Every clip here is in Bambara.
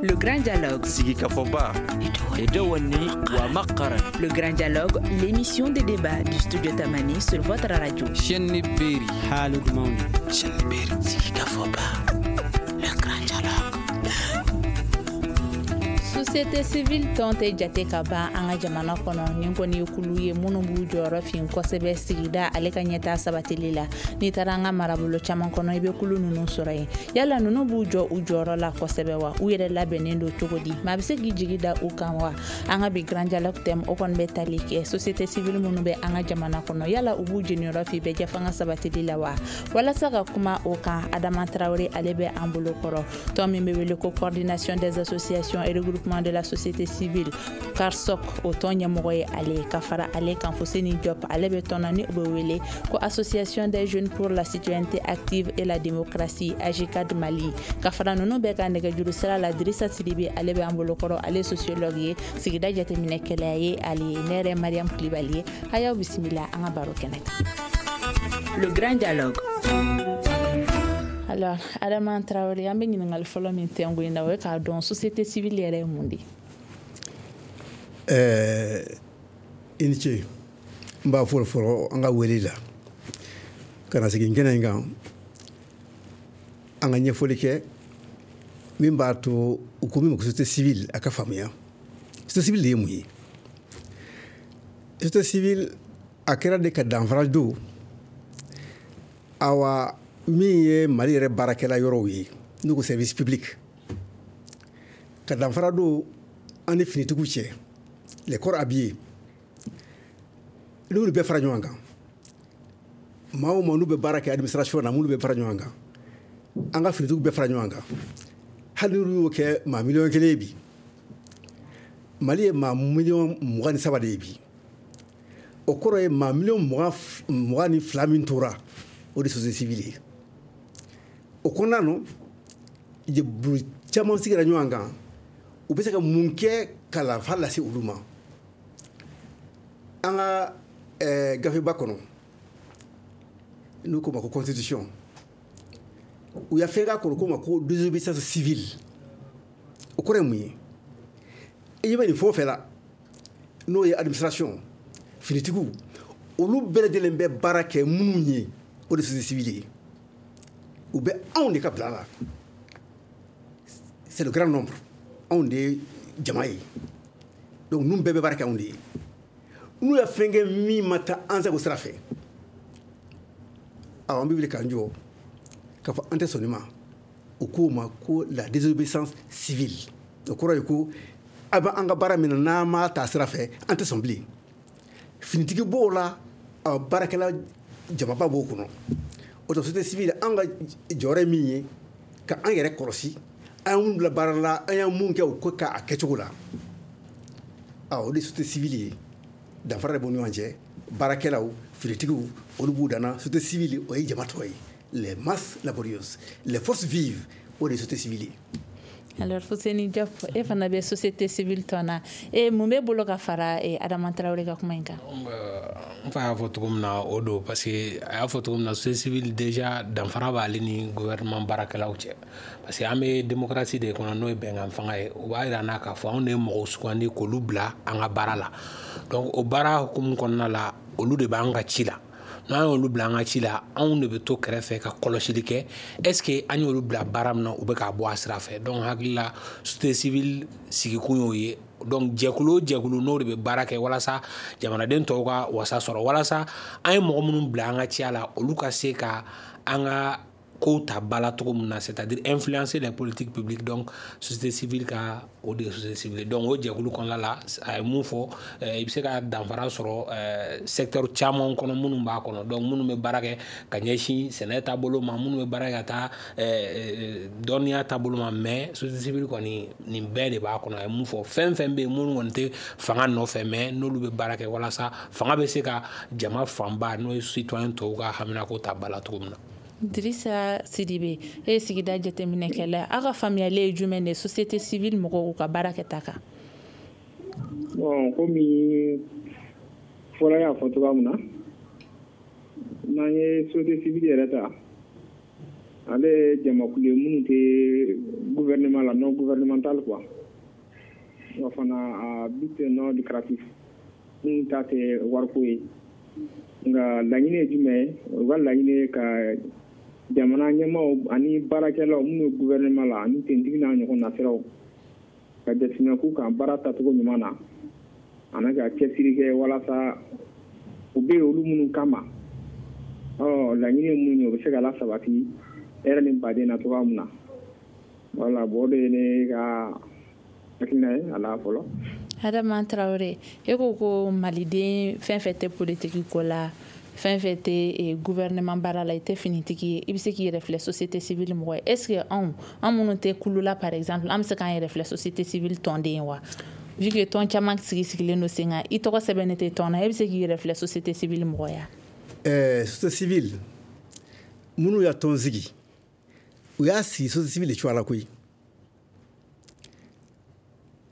Le Grand Dialogue. Sigikafɔba wa maqaran. Le Grand Dialogue, l'émission de débat du studio Tamani sur votre radio. Shenni Beri. Haalude mawni. Shenni Beri. Sigikafɔba. Le Grand Dialogue. Société civile tɔn tɛ jate ka ban an ka jamana kɔnɔ. Nin kɔni ye kulu ye minnu b'u jɔyɔrɔ fin kosɛbɛ sigida ale ka ɲɛtaa sabatili la. N'i taara an ka marabolo caman kɔnɔ, i bɛ kulu ninnu sɔrɔ yen. Yala ninnu b'u jɔ u jɔyɔrɔ la kosɛbɛ wa? U yɛrɛ labɛnnen don cogo di? Maa bɛ se k'i jigi da u kan wa? An ka bi Grand Dialogue thème, o kɔni bɛ tali kɛ société civile minnu bɛ an ka jamana kɔnɔ. Yala u b'u jeniyɔrɔ fin bɛɛ jɛfanga sabatili la wa? Walasa ka kuma o kan, Adama Tarawele, ale bɛ an bolo kɔrɔ. Tɔn min bɛ wele ko Coordination des associations et regroupements de la société civile, CARSOC, o tɔn ɲɛmɔgɔ ye ale. Ka fara ale kan, Fuseni Diop, ale bɛ tɔn na ni o bɛ wele ko Association des jeunes pour la citoyenneté active et la démocratie, AJCAD Mali. Ka fara ninnu bɛɛ ka nɛgɛjuru sira la, Dirisa Sidibe, ale bɛ an bolo kɔrɔ. Ale sociologue ye, sigida jateminɛkɛla ye ale ye. Ne yɛrɛ, Mariam Kulibali ye. A y'aw bisimila an ka baro kɛnɛ kan. Le Grand Dialogue. Alors, Adama Traoré, an bɛ ɲininkali fɔlɔ min tɛnku in na, o ye k'a dɔn société civile yɛrɛ ye mun de ye? I ni ce. N b'a fɔlɔ fɔlɔ an ka wele la ka na sigi kɛnɛ in kan, an ka ɲɛfɔli kɛ min b'a to u ko min ma ko société civile, a ka faamuya société civile de ye mun ye. Société civile, a kɛra de ka danfara don awa min ye Mali yɛrɛ baarakɛla yɔrɔw ye, n'u ko service public, ka danfara don an ni finitigiw cɛ, les corps habillés. N'olu bɛɛ fara ɲɔgɔn kan, maa o maa n'u bɛ baara kɛ administration na, minnu bɛ fara ɲɔgɔn kan, an ka finitigiw bɛɛ fara ɲɔgɔn kan, hali n'olu y'o kɛ maa 1 miliyɔn ye bi, Mali ye maa miliyɔn 23 de ye bi. O kɔrɔ ye maa miliyɔn 22 min tora, o de société civile ye. O kɔnɔna nɔ, jɛkulu caman sigira ɲɔgɔn kan, u bɛ se ka mun kɛ ka lafa lase olu ma. An ka gafeba kɔnɔ, n'u ko ma ko constitution, u y'a fɛn k'a kɔnɔ ko ma ko désobéissance civile. O kɔrɔ ye mun ye? I ɲɛ bɛ nin fɛn o fɛn la, n'o ye administration, finitigiw, olu bɛɛ lajɛlen bɛ baara kɛ minnu ye, o de société civile ye. U bɛ anw de ka bila la, c'est le grand nombre, anw de ye jama ye. Donc ninnu bɛɛ bɛ baara kɛ anw de ye. N'u ye fɛn kɛ min ma taa an sago sira fɛ, awɔ, an bɛ wuli k'an jɔ k'a fɔ an tɛ sɔn nin ma. U k'o ma ko la désobéissance civile. O kɔrɔ ye ko a bɛ an ka baara min na, n'an m'a ta sira fɛ, an tɛ sɔn bilen. Finitigi b'o la, baarakɛla jamaba b'o kɔnɔ. O tɛ société civile, an ka jɔyɔrɔ ye min ye, ka an yɛrɛ kɔlɔsi, an ye mun bila baara la, an ye mun kɛ, o ko k'a kɛcogo la. Awɔ, o de ye société civile ye. Danfara de b'u ni ɲɔgɔn cɛ. Baarakɛlaw, finitigiw, olu b'u danna. Société civile, o ye jama tɔ ye, les masses laborieuses, les forces vives, o de ye société civile ye. Alors, Fuseni Diop, e fana bɛ société civile tɔn na. E mun b'e bolo ka fara Adama Traoré ka kuma in kan? N fa y'a fɔ cogo min na, o don, parce que a y'a fɔ cogo min na, société civile déjà, danfara b'ale ni gouvernement baarakɛlaw cɛ, parce que an bɛ démocratie de kɔnɔ, n'o ye bɛnkan fanga ye. O b'a yira n na k'a fɔ anw de ye mɔgɔw sugandi k'olu bila an ka baara la. Donc o baara hukumu kɔnɔna la, olu de b'an ka ci la. N'an y'olu bila an ka ci la, anw de bɛ to kɛrɛfɛ ka kɔlɔsili kɛ, est ce que an y'olu bila baara min na, u bɛ k'a bɔ a sira fɛ. Donc hakili la, société civile sigikun y'o ye. Donc jɛkulu o jɛkulu, n'o de bɛ baara kɛ walasa jamanaden tɔw ka wasa sɔrɔ, walasa an ye mɔgɔ minnu bila an ka ciya la, olu ka se ka an ka kow ta ba la cogo min na, c'est à dire influencer les politiques publiques. Donc société civile ka, o de ye société civile. Donc o jɛkulu kɔnɔna la, a ye mun fɔ, i bɛ se ka danfara sɔrɔ secteur caman kɔnɔ minnu b'a kɔnɔ. Donc minnu bɛ baara kɛ ka ɲɛsin sɛnɛ taabolo ma, minnu bɛ baara kɛ ka taa dɔnniya taabolo ma, mais société civile kɔni, nin bɛɛ de b'a kɔnɔ. A ye mun fɔ, fɛn fɛn bɛ yen minnu kɔni tɛ fanga nɔfɛ, mais n'olu bɛ baara kɛ walasa fanga bɛ se ka jama fanba, n'o ye citoyen tɔw ka haminako ta ba la cogo min na. Dirisa Sidibe, e ye sigida jateminɛkɛla, aw ka faamuyali ye jumɛn de société civile mɔgɔw ka baara kɛta kan? Bon, komi fɔlɔ y'a fɔ cogoya min na, n'an ye société civile yɛrɛ ta, ale ye jamakulu ye minnu tɛ gouvernement. gouvernement la, non gouvernemental quoi. Wa fana à but non lucratif, minnu ta tɛ wariko ye. Nka laɲini ye jumɛn ye? U ka laɲini ye ka jamana ɲɛmaaw ani baarakɛlaw minnu ye gouvernement la ani tentigi n'a ɲɔgɔn nasiraw ka jateminɛ k'u kan baara tacogo ɲuman na, ani ka cɛsiri kɛ walasa u bɛ yen olu minnu kama, ɔ laɲini ye mun ye, o bɛ se ka lasabati hɛrɛ ni baden na cogoya min na. Voilà, bon, o de ye ne ka hakilina ye a la fɔlɔ. Adama Traoré, e ko ko maliden fɛn fɛn tɛ politiki ko la, fɛn fɛn tɛ gouvernement baara la, i tɛ finitigi ye, i bɛ se k'i yɛrɛ filɛ société civile mɔgɔ ye. Est ce que anw an minnu tɛ kulu la par exemple, an bɛ se k'an yɛrɛ filɛ société civile tɔnden ye wa? Vu que tɔn caman sigi sigilen don sen kan, i tɔgɔ sɛbɛnnen tɛ tɔn na, e bɛ se k'i yɛrɛ filɛ société civile mɔgɔ ya? Société civile minnu y'a tɔn sigi, u y'a sigi société civile de cogoya la koyi.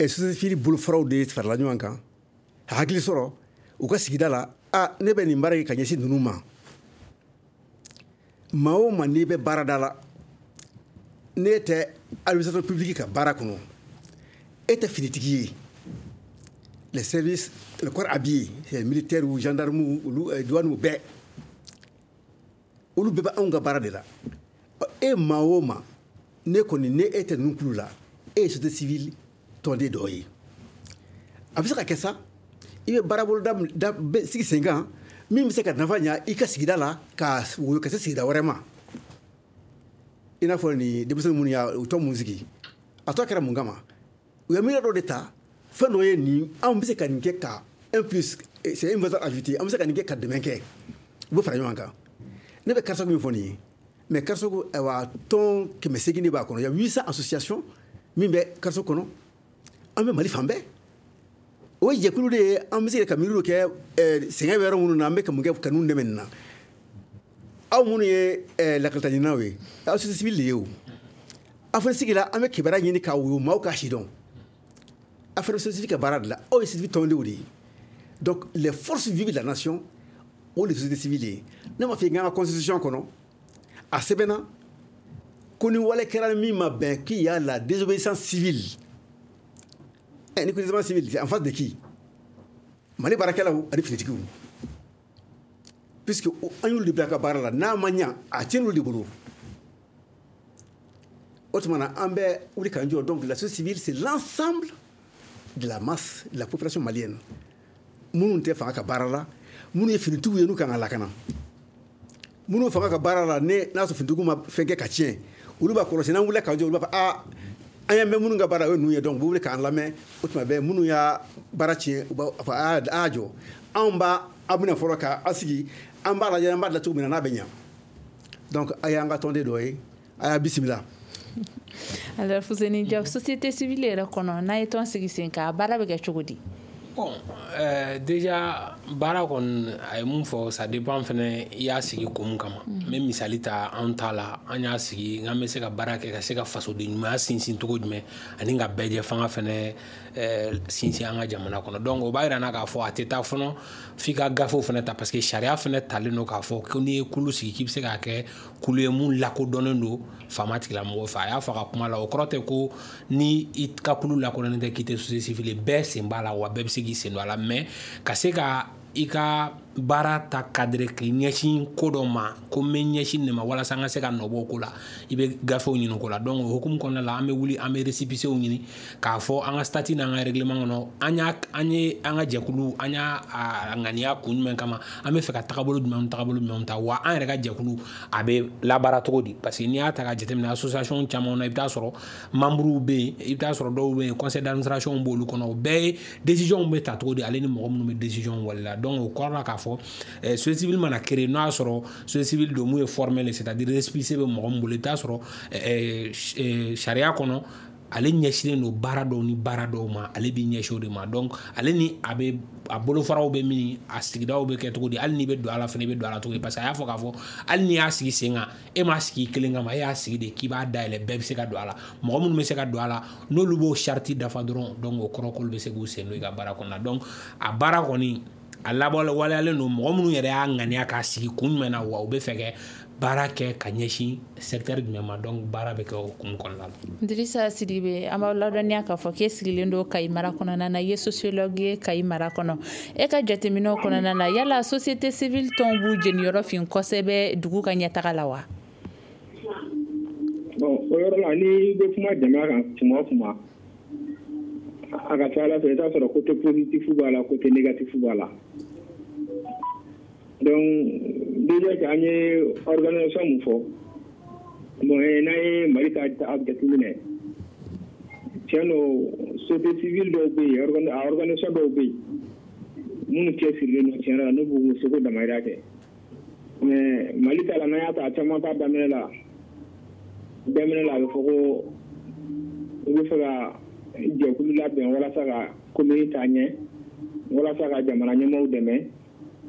Société civile bolofaraw de farala ɲɔgɔn kan ka hakili sɔrɔ u ka sigida la. A ne bɛ nin baara kɛ ka ɲɛsin ninnu ma. Maa o maa n'i bɛ baarada la, n'e tɛ administration publique ka baara kɔnɔ, e tɛ finitigi ye, les services, le corps habillé, c'est militaire ou gendarme, olu, douane, bɛɛ, olu bɛɛ bɛ anw ka baara de la. E maa o maa ne kɔni ne e tɛ ninnu kulu la, e ye société civile tɔnden dɔ ye. A bɛ se ka kɛ sa, i bɛ baaraboloda da sigi sen kan min bɛ se ka nafa ɲa i ka sigida la, ka woyo ka se sigida wɛrɛ ma. I n'a fɔ nin denmisɛnnin minnu y'a u tɔ mun sigi, a tɔ kɛra mun kama? U ye miiriya dɔ de ta, fɛn dɔ ye nin, anw bɛ se ka nin kɛ ka un plus, c'est une valeur ajoutée, an bɛ se ka nin kɛ ka dɛmɛ kɛ, u bɛ fara ɲɔgɔn kan. Ne bɛ CARSOG min fɔ nin ye, mais CARSOG, ayiwa, tɔn 800 de b'a kɔnɔ. Il y a 800 associations min bɛ CARSOG kɔnɔ. An bɛ Mali fan bɛɛ. O ye jɛkulu de ye. An bɛ se ka miiriw kɛ sɛgɛn bɛ yɔrɔ minnu na, an bɛ ka mun kɛ ka ninnu dɛmɛ nin na. Aw minnu ye lakalitaɲininaw ye, aw société civile de ye o. Aw fana sigila, an bɛ kibaruya ɲini k'a woyo, maaw k'a sidɔn. Aw fana société civile ka baara de la, aw ye société civile tɔndenw de ye. Donc les forces vives de la nation, o de société civile ye. Ne m'a fɔ i ka constitution kɔnɔ, a sɛbɛnna ko ni wale kɛra min ma bɛn, qu'il y a la désobéissance civile. Ni désobéissance civile, c'est en face de qui? Mali baarakɛlaw ani finitigiw, puisque an y'olu de bila ka baara la. N'a ma ɲa, a tiɲɛ de bolo. O tuma na, an bɛ wuli k'an jɔ. Donc la société civile, c'est l'ensemble de la masse de la population malienne minnu tɛ fanga ka baara la, minnu ye finitigiw ye n'u kan ka lakana, minnu fanga ka baara la, ne n'a sɔrɔ finitigiw ma fɛn kɛ ka tiɲɛ, olu b'a kɔlɔsi. N'an wulila k'an jɔ, olu b'a fɔ: aa, an y'an bɛ minnu ka baara, o ye ninnu ye. Donc u bɛ wuli k'an lamɛn. O tuma bɛɛ, minnu y'a baara tiɲɛ, u b'a fɔ: a y'a jɔ, anw b'a aw bɛna fɔlɔ k'a sigi, an b'a lajɛ, an b'a dilan cogo min na n'a bɛ ɲa. Donc a y'an ka tɔnden dɔ ye, a y'a bisimila. Alors Fuseni Diaw, société civile yɛrɛ kɔnɔ, n'a ye tɔn sigi sen kan, a baara bɛ kɛ cogo di? Bon, déjà baara kɔni, a ye mun fɔ, ça dépend fɛnɛ i y'a sigi kun mun kama. N bɛ misali ta anw ta la. An y'a sigi n'an bɛ se ka baara kɛ ka se ka fasoden ɲumanya sinsin cogo jumɛn ani ka bɛɛjɛ fanga fɛnɛ sinsin an ka jamana kɔnɔ. Donc o b'a yira n na k'a fɔ a tɛ taa fɔlɔ f'i ka gafew fɛnɛ ta, parce que sariya fɛnɛ talen don k'a fɔ ko n'i ye kulu sigi, k'i bɛ se k'a kɛ kulu ye mun lakodɔnnen don faama tigilamɔgɔw fɛ. A y'a fɔ a ka kuma la, o kɔrɔ tɛ ko ni i ka kulu lakodɔnnen tɛ k'i tɛ société civile. Bɛɛ sen b'a la, wa bɛɛ bɛ se k'i sen don a la. Mais ka se ka i ka baara ta cadre k'i ɲɛsin ko dɔ ma, ko n bɛ ɲɛsin nin ma walasa an ka se ka nɔbɔ o ko la, i bɛ gafew ɲini o ko la. Donc o hukumu kɔnɔna la, an bɛ wuli, an bɛ récépissé ɲini k'a fɔ an ka statut n'an ka règlement kɔnɔ, an y'a an ye an ka jɛkulu, an y'a a ŋaniya kun jumɛn kama, an bɛ fɛ ka tagabolo jumɛnw ta, wa an yɛrɛ ka jɛkulu a bɛ labaara cogo di. Parce que n'i y'a ta ka jateminɛ, association caman na, i bɛ taa sɔrɔ membres bɛ yen, i bɛ taa sɔrɔ dɔw bɛ yen, conseil d'administration b'olu kɔnɔ. O bɛɛ ye décision bɛ ta cogo di, ale ni mɔgɔ minnu bɛ décision waleya. Donc o kɔrɔ la k'a fɔ société civile mana créer, n'o y'a sɔrɔ société civile don mun ye formel, c'est à dire récépissé bɛ mɔgɔ min bolo, i bɛ taa sɔrɔ sariya kɔnɔ, ale ɲɛsinnen don baara dɔw ni baara dɔw ma, ale b'i ɲɛsin o de ma. Donc ale ni a bɛ a bolofaraw bɛ min, a sigidaw bɛ kɛ cogo di, hali n'i bɛ don a la fana, i bɛ don a la cogo di. Parce que a y'a fɔ k'a fɔ hali n'i y'a sigi sen kan, e m'a sigi i kelen kama, e y'a sigi de k'i b'a dayɛlɛ, bɛɛ bɛ se ka don a la. Mɔgɔ minnu bɛ se ka don a la, n'olu b'o charte dafa dɔrɔn, donc o kɔrɔ k'olu bɛ se k'u sen don i ka baara kɔnɔna. Donc a baara kɔni, a labɔ waleyalen don mɔgɔ minnu yɛrɛ y'a ŋaniya k'a sigi kun jumɛn na, wa u bɛ fɛ kɛ baara kɛ ka ɲɛsin secteur jumɛn ma. Donc baara bɛ kɛ o hukumu kɔnɔna la. Dirisa Sidibe, an b'aw ladɔnniya k'a fɔ k'e sigilen don Kayi mara kɔnɔna na, i ye sociologue ye Kayi mara kɔnɔ. E ka jateminɛw kɔnɔna na, yala société civile tɔnw b'u jeniyɔrɔ fin kosɛbɛ dugu ka ɲɛtaga la wa? Bon, o yɔrɔ la, n'i bɛ kuma jama kan tuma o tuma, a ka ca ala fɛ, i t'a sɔrɔ côté positif b'a la, côté négatif b'a la. Donc déjà que an ye organisation mun fɔ, bon, n'an ye Mali ta jateminɛ, tiɲɛ don, société civile dɔw bɛ yen, a organisation dɔw bɛ yen minnu cɛsirilen don tiɲɛ yɛrɛ la, n'u b'u seko damayira kɛ. Mais Mali ta la, n'an y'a ta, a caman ta daminɛ la, a bɛ fɔ ko u bɛ fɛ ka jɛkulu labɛn walasa ka commune taa ɲɛ, walasa ka jamana ɲɛmaaw dɛmɛ.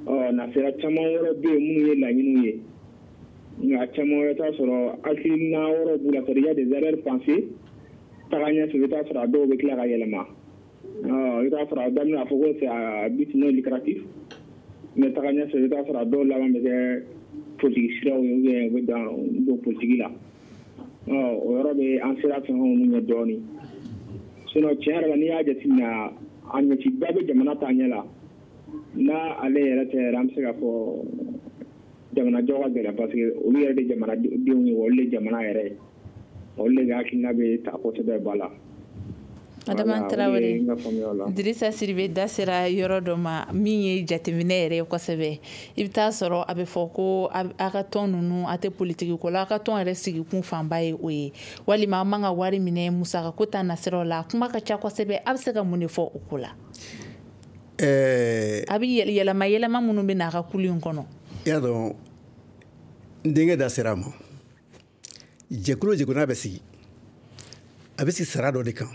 Ɔ nasira caman wɛrɛ bɛ yen minnu ye laɲiniw ye, nka caman wɛrɛ t'a sɔrɔ hakilina wɛrɛw b'u la, c'est-à-dire il y a des arrière-pensées. Taga ɲɛfɛ, i bɛ taa sɔrɔ a dɔw bɛ tila ka yɛlɛma. Ɔ i bɛ taa sɔrɔ a daminɛ, a fɔ ko c'est à but non lucratif, mais taga ɲɛfɛ, i bɛ taa sɔrɔ a dɔw laban bɛ kɛ politique siraw ye, ou bien u bɛ dan don politique la. Ɔ o yɔrɔ bɛ an sera fɛn minnu ɲɛ dɔɔnin. Sinon tiɲɛ yɛrɛ la, n'i y'a jateminɛ, a ɲɛciba bɛ jamana taa ɲɛ la. N'a ale yɛrɛ tɛ yɛrɛ, an bɛ se k'a fɔ jamanajɔ ka gɛlɛn, parce que olu yɛrɛ de jamanadenw ye, olu de jamana yɛrɛ ye, olu de ka hakilina bɛ ta kosɛbɛ ba la. Adama Tarawele, Dirisa Sidibe da sera yɔrɔ dɔ ma min ye jateminɛ yɛrɛ ye kosɛbɛ. I bɛ taa sɔrɔ a bɛ fɔ ko a ka tɔn ninnu, a tɛ politiki ko la, a ka tɔn yɛrɛ sigikun fanba ye o ye, walima an man ka wari minɛ musaka ko ta nasiraw la. Kuma ka ca kosɛbɛ. A bɛ se ka mun de fɔ o ko la? A bɛ yɛlɛma yɛlɛma minnu bɛ na a ka kulu in kɔnɔ. I y'a dɔn, n denkɛ da sera a ma. Jɛkulu o jɛkulu n'a bɛ sigi, a bɛ sigi sara dɔ de kan,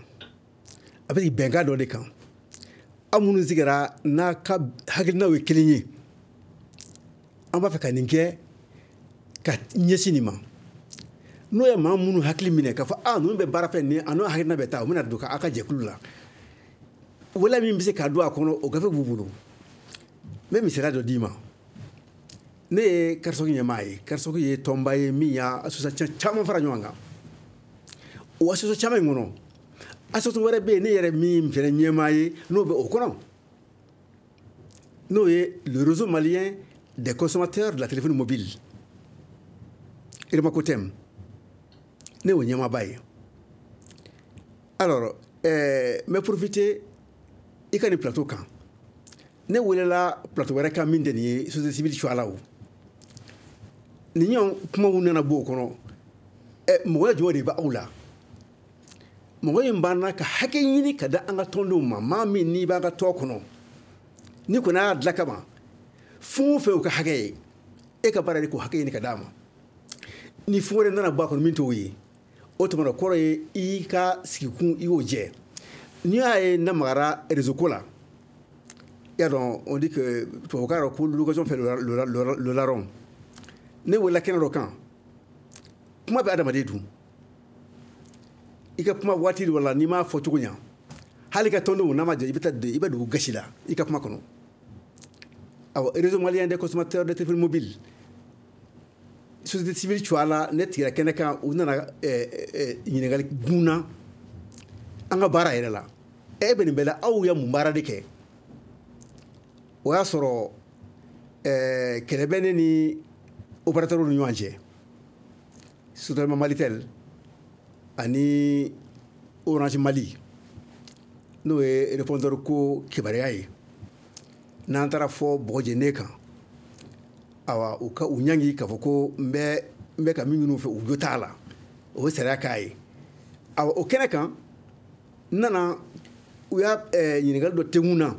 a bɛ sigi bɛnkan dɔ de kan. Aw minnu sigira n'a ka hakilinaw ye kelen ye, an b'a fɛ ka nin kɛ ka ɲɛsin nin ma. N'o ye maa minnu hakili minɛ k'a fɔ a ninnu bɛ baara fɛ nin, a n'o hakilina bɛ taa, u bɛna don aw ka jɛkulu la. Wala min bɛ se k'a don a kɔnɔ, o gafe b'u bolo. N bɛ misaliya dɔ d'i ma. Ne ye CARSOC ɲɛmaa ye. CARSOC ye tɔnba ye min y'a association caman fara ɲɔgɔn kan. O association caman in kɔnɔ, association wɛrɛ bɛ yen ne yɛrɛ min fɛnɛ ɲɛmaa ye, n'o bɛ o kɔnɔ, n'o ye le réseau malien des consommateurs de la téléphonie mobile, REMACOTEM. Ne y'o ɲɛmaaba ye. Alors n bɛ profiter i ka nin plateau kan. Ne welela plateau wɛrɛ kan min tɛ nin ye, société civile cogoya la. O nin ɲɔgɔn kumaw nana bɔ o kɔnɔ. Mɔgɔ jumɛn de bɛ aw la? Mɔgɔ in banna ka hakɛ ɲini ka da an ka tɔndenw ma. Maa min n'i b'an ka tɔn kɔnɔ, n'i kɔni y'a dilan kaban, fɛn o fɛn y'u ka hakɛ ye, e ka baara de k'o hakɛ ɲini ka d'a ma. Ni fɛn wɛrɛ nana bɔ a kɔnɔ min t'o ye, o tuma kɔrɔ ye i ka sigikun i y'o jɛ. N'i y'a ye n'a magara réseau ko la, i y'a dɔn, on dit que tubabukan yɔrɔ ko l'occasion fait le larron. Ne welela kɛnɛ dɔ kan, kuma bɛ adamaden dun. I ka kuma waati dɔ la, n'i m'a fɔ cogo ɲa, hali ka tɔndenw n'a ma jɛ, i bɛ taa i bɛ dugu gasi la i ka kuma kɔnɔ. Awɔ, réseau malien des consommateurs de téléphonie mobile, société civile cogoya la, ne tigira kɛnɛ kan, u nana ɲininkali gun na an ka baara yɛrɛ la. E bɛ nin bɛɛ la, aw ye mun baara de kɛ? O y'a sɔrɔ kɛlɛ bɛ ne ni opérateur ni ɲɔgɔn cɛ, surtout Malitel ani Orange Mali, n'o ye répondeur ko kibaruya ye. N'an taara fɔ bɔgɔjɛnen kan, awa u ka u ɲangi k'a fɔ ko n bɛ ka min ɲini u fɛ, u jo t'a la, o ye sariya k'a ye. Awa o kɛnɛ kan, n nana, u y'a ɲininkali dɔ tenkun na,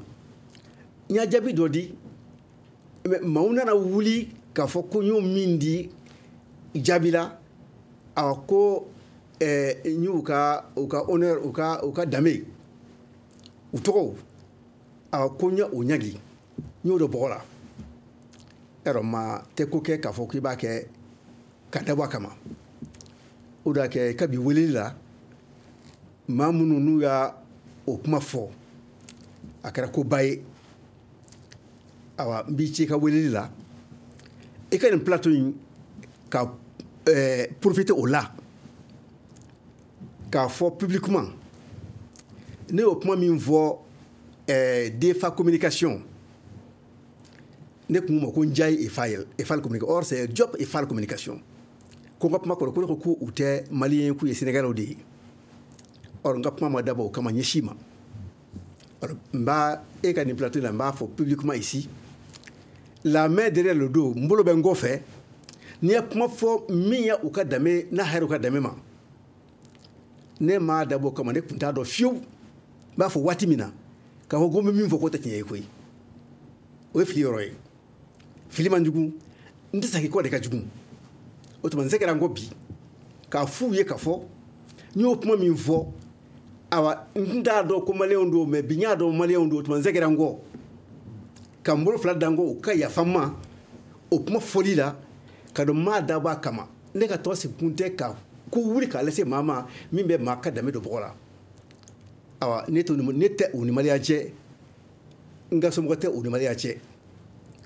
n y'a jaabi dɔ di, mais maaw nana wuli k'a fɔ ko n y'o min di jaabi la, awa ko n y'u ka honneur, u ka danbe, u tɔgɔw, awa ko n ye o ɲangi, n y'o don bɔgɔ la. Yarɔ, maa tɛ ko kɛ k'a fɔ k'i b'a kɛ ka dabɔ a kama. O de y'a kɛ kabi weleli la, maa minnu n'u y'a o kuma fɔ, a kɛra koba ye. Awa n b'i ci i ka weleli la, i ka nin plateau in Ka profiter o la k'a fɔ publiquement, ne y'o kuma min fɔ DFA communication, ne kun ma ko Ndiaye et Fall et Fall communication, or c'est Diop et Fall communication. Ko n ka kuma kɔrɔ ko ne ko ko u tɛ malien, k'u ye sénégalais de ye. Or n ka kuma ma dabɔ o kama ɲɛsin ma. Alors n b'a e ka nin plateau la, n b'a fɔ publiquement ici, la main derrière le dos, n bolo bɛ n kɔfɛ. N'i ye kuma fɔ min ye u ka danbe n'a hɛrɛ u ka danbe ma, ne m'a dabɔ o kama. Ne tun t'a dɔn fiyewu n b'a fɔ waati min na k'a fɔ ko n bɛ min fɔ k'o tɛ tiɲɛ ye koyi. O ye fili yɔrɔ ye. Fili man jugu, n tɛ segin kɔ de ka jugu. O tuma n se kɛra n kɔ bi k'a f'u ye k'a fɔ n y'o kuma min fɔ, awa, n t'a dɔn ko maliyɛnw don, mais bi n y'a dɔn maliyɛnw don. O tuma n se kɛra n kɔ ka n bolo fila da n kɔ, u ka yafa n ma o kuma fɔli la, ka dɔn n m'a dabɔ a kama. Ne ka tɔgɔ sigi kun tɛ ka ko wuli k'a lase maa ma min bɛ maa ka danbe don bɔgɔ la. Awa, ne tɛ u ni maliyɛn cɛ, n ka somɔgɔ tɛ u ni maliyɛn cɛ,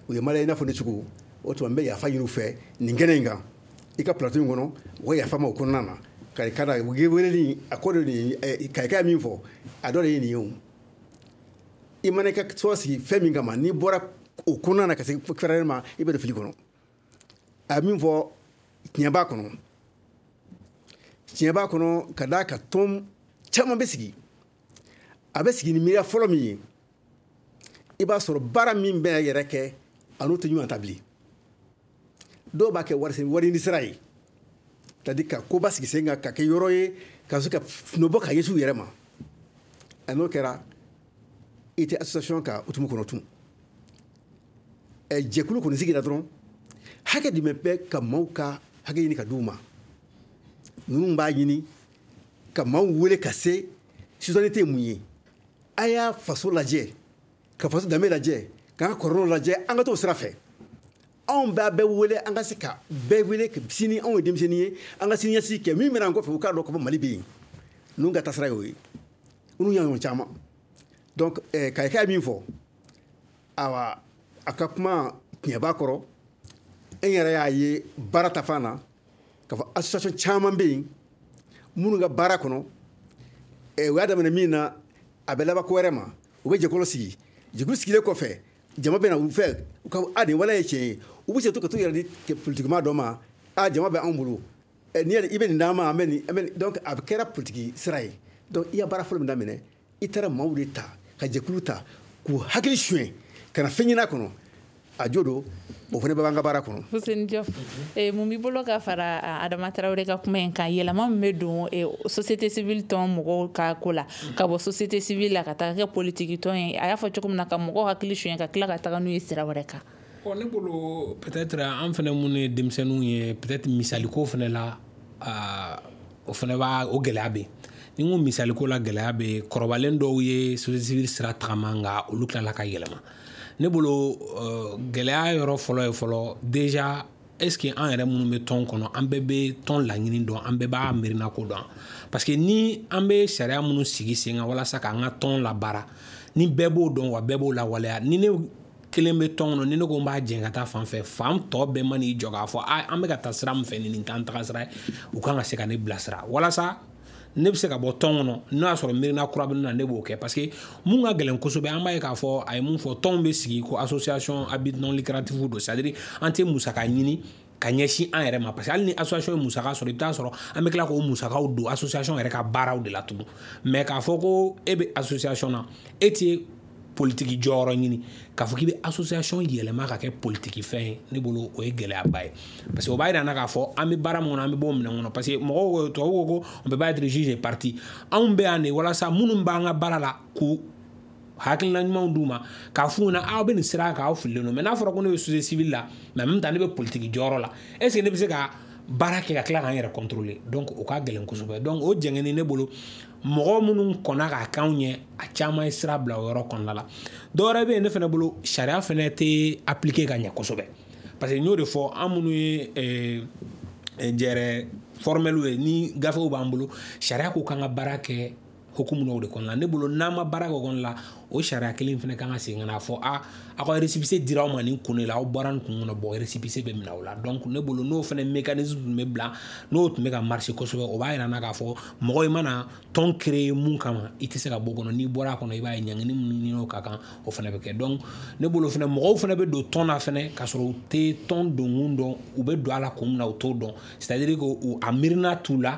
u ye maliyɛn i n'a fɔ ne cogo. O tuma n bɛ yafa ɲini u fɛ nin kɛnɛ in kan, i ka plateau in kɔnɔ, u ka yafa ma o kɔnɔna na. Ka ka da weleli a ko de nin kayika min fɔ, a dɔ de ye nin ye. O i mana i ka tɔgɔ sigi fɛn min kama, n'i bɔra o kɔnɔna na ka se fɛrɛ ma, i bɛ don fili kɔnɔ. A ye min fɔ, tiɲɛ b'a kɔnɔ, tiɲɛ b'a kɔnɔ, ka d'a kan tɔn caman bɛ sigi, a bɛ sigi ni miiriya fɔlɔ min ye, i b'a sɔrɔ baara min bɛ yɛrɛ kɛ, a n'o tɛ ɲɔgɔn ta bilen. Dɔw b'a kɛ wari ɲini sira ye, c'est à dire ka koba sigi sen kan ka kɛ yɔrɔ ye ka se ka nɔ bɔ ka ɲɛsin u yɛrɛ ma. A n'o kɛra, i tɛ association ka hukumu kɔnɔ tun. Jɛkulu kɔni sigira dɔrɔn, hakɛ jumɛn bɛ ka maaw ka hakɛ ɲini ka d'u ma? Ninnu b'a ɲini ka maaw wele ka se citoyenneté ye mun ye. A y'a faso lajɛ, ka faso danbe lajɛ, k'an ka kɔrɔlenw lajɛ, an ka t'o sira fɛ. Anw b'a bɛɛ wele, an ka se ka bɛɛ wele sini. Anw ye denmisɛnnin ye, an ka siniɲɛsigi kɛ min bɛna an kɔfɛ, u k'a dɔn ko Mali bɛ yen. Ninnu ka taasira y'o ye, ninnu y'a ɲɔgɔn caman. Donc kayika ye min fɔ, awa, a ka kuma tiɲɛ b'a kɔrɔ. E yɛrɛ y'a ye baara ta fan na k'a fɔ association caman bɛ yen minnu ka baara kɔnɔ, u y'a daminɛ min na, a bɛ laban ko wɛrɛ ma. U bɛ jɛkulu sigi, jɛkulu sigilen kɔfɛ, jama bɛ na u fɛ, u ka a nin waleya ye tiɲɛ ye, u bɛ se to ka t'u yɛrɛ di politikima dɔ ma: a jama bɛ anw bolo, n'i i bɛ nin d'an ma, an bɛ nin, an bɛ nin. Donc a kɛra politiki sira ye. Donc i ya baara fɔlɔ min daminɛ, i taara maaw de ta ka jɛkulu ta k'u hakili suɲɛ ka na fɛn ɲini a kɔnɔ, a jo don. O fana bɛ b'an ka baara kɔnɔ. Fuseni Diop, mun b'i bolo ka fara Adama Tarawele ka kuma in kan? Yɛlɛma min bɛ don société civile tɔn mɔgɔw ka ko la, ka bɔ société civile la ka taga kɛ politiki tɔn ye, a y'a fɔ cogo min na, ka mɔgɔw hakili suɲɛ ka tila ka taga n'u ye sira wɛrɛ kan. Bon, ne bolo, peut-être an fana minnu ye denmisɛnninw ye, peut-être misaliko fana la, o fana b'a o gɛlɛya bɛ yen. Ni n ko misaliko la gɛlɛya bɛ yen, kɔrɔbalen dɔw ye société civile sira tagama, nka olu tilala ka yɛlɛma. Ne bolo, gɛlɛya yɔrɔ fɔlɔ ye fɔlɔ déjà, est ce que an yɛrɛ minnu bɛ tɔn kɔnɔ, an bɛɛ bɛ tɔn laɲini dɔn, an bɛɛ b'a miirina ko dɔn? Parce que ni an bɛ sariya minnu sigi sen kan walasa k'an ka tɔn labaara, ni bɛɛ b'o dɔn wa bɛɛ b'o lawaleya, ni ne kelen bɛ tɔn kɔnɔ, ni ne ko n b'a jɛn ka taa fan fɛ, fan tɔ bɛɛ man'i jɔ k'a fɔ a an bɛ ka taa sira min fɛ, nin t'an taga sira ye, u kan ka se ka ne bilasira walasa ne bɛ se ka bɔ tɔn kɔnɔ. N'o y'a sɔrɔ miirina kura bɛ ne na, ne b'o kɛ. Parce que mun ka gɛlɛn kosɛbɛ, an b'a ye k'a fɔ a ye mun fɔ, tɔnw bɛ sigi ko association à but non lucratif don, c'est à dire an tɛ musaka ɲini ka ɲɛsin an yɛrɛ ma. Parce que hali ni association ye musaka sɔrɔ, i bɛ taa sɔrɔ an bɛ tila k'o musakaw don association yɛrɛ ka baaraw de la tugun. Mais k'a fɔ ko e bɛ association na, e tɛ politiki jɔyɔrɔ ɲini, k'a fɔ k'i bɛ association yɛlɛma ka kɛ politiki fɛn ye, ne bolo o ye gɛlɛyaba ye. Parce que o b'a yira n na k'a fɔ an bɛ baara min kɔnɔ, an bɛ bɔ o minɛn kɔnɔ. Parce que mɔgɔw, tubabuw ko on peut pas être juge et partie. Anw bɛ yan de walasa minnu b'an ka baara la, k'u hakilina ɲumanw d'u ma, k'a f'u ɲɛna aw bɛ nin sira kan, aw fililen don. Mais n'a fɔra ko ne bɛ société civile la, mais en même temps ne bɛ politiki jɔyɔrɔ la, est ce que ne bɛ se ka baara kɛ ka tila k'an yɛrɛ contrôler? Donc o ka gɛlɛn kosɛbɛ. Donc o jɛngɛni, ne bolo, mɔgɔ minnu kɔnna k'a k'anw ɲɛ, a caman ye sira bila o yɔrɔ kɔnɔna la. Dɔwɛrɛ bɛ yen, ne fana bolo, sariya fana tɛ appliquer ka ɲɛ kosɛbɛ. Parce que n y'o de fɔ, an minnu ye jɛrɛ formel ye, ni gafew b'an bolo, sariya ko k'an ka baara kɛ. Hukumu dɔw de kɔnɔna ne bolo, n'an ma baara kɛ o kɔnɔna la, o sariya kelen fana kan ka segin ka na fɔ a aw ka récépissé dira aw ma nin kun de la, aw bɔra nin kun kɔnɔ, bon, récépissé bɛ minɛ aw la. Donc ne bolo, n'o fana mécanisme tun bɛ bila, n'o tun bɛ ka marcher kosɛbɛ, o b'a yira n na k'a fɔ mɔgɔ i mana tɔn créer mun kama, i tɛ se ka bɔ o kɔnɔ. N'i bɔra a kɔnɔ, i b'a ye ɲangini min n'o ka kan, o fana bɛ kɛ. Donc ne bolo fana, mɔgɔw fana bɛ don tɔn na fana k'a sɔrɔ u tɛ tɔn donkun dɔn, u bɛ don a la kun min na, u t'o dɔn. C'est à dire que a miirina t'u la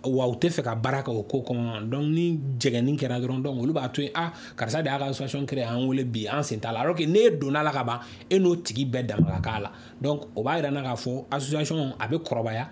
wa, u tɛ fɛ ka baara kɛ o ko kɔnɔ. Donc ni jɛgɛni kɛra dɔrɔn, donc olu b'a to yen, ah, karisa de y'a ka association créer, an wele bi, an sen t'a la, alors que n'e donna la ka ban, e n'o tigi bɛɛ dama ka k'a la. Donc o b'a yira n na k'a fɔ association a bɛ kɔrɔbaya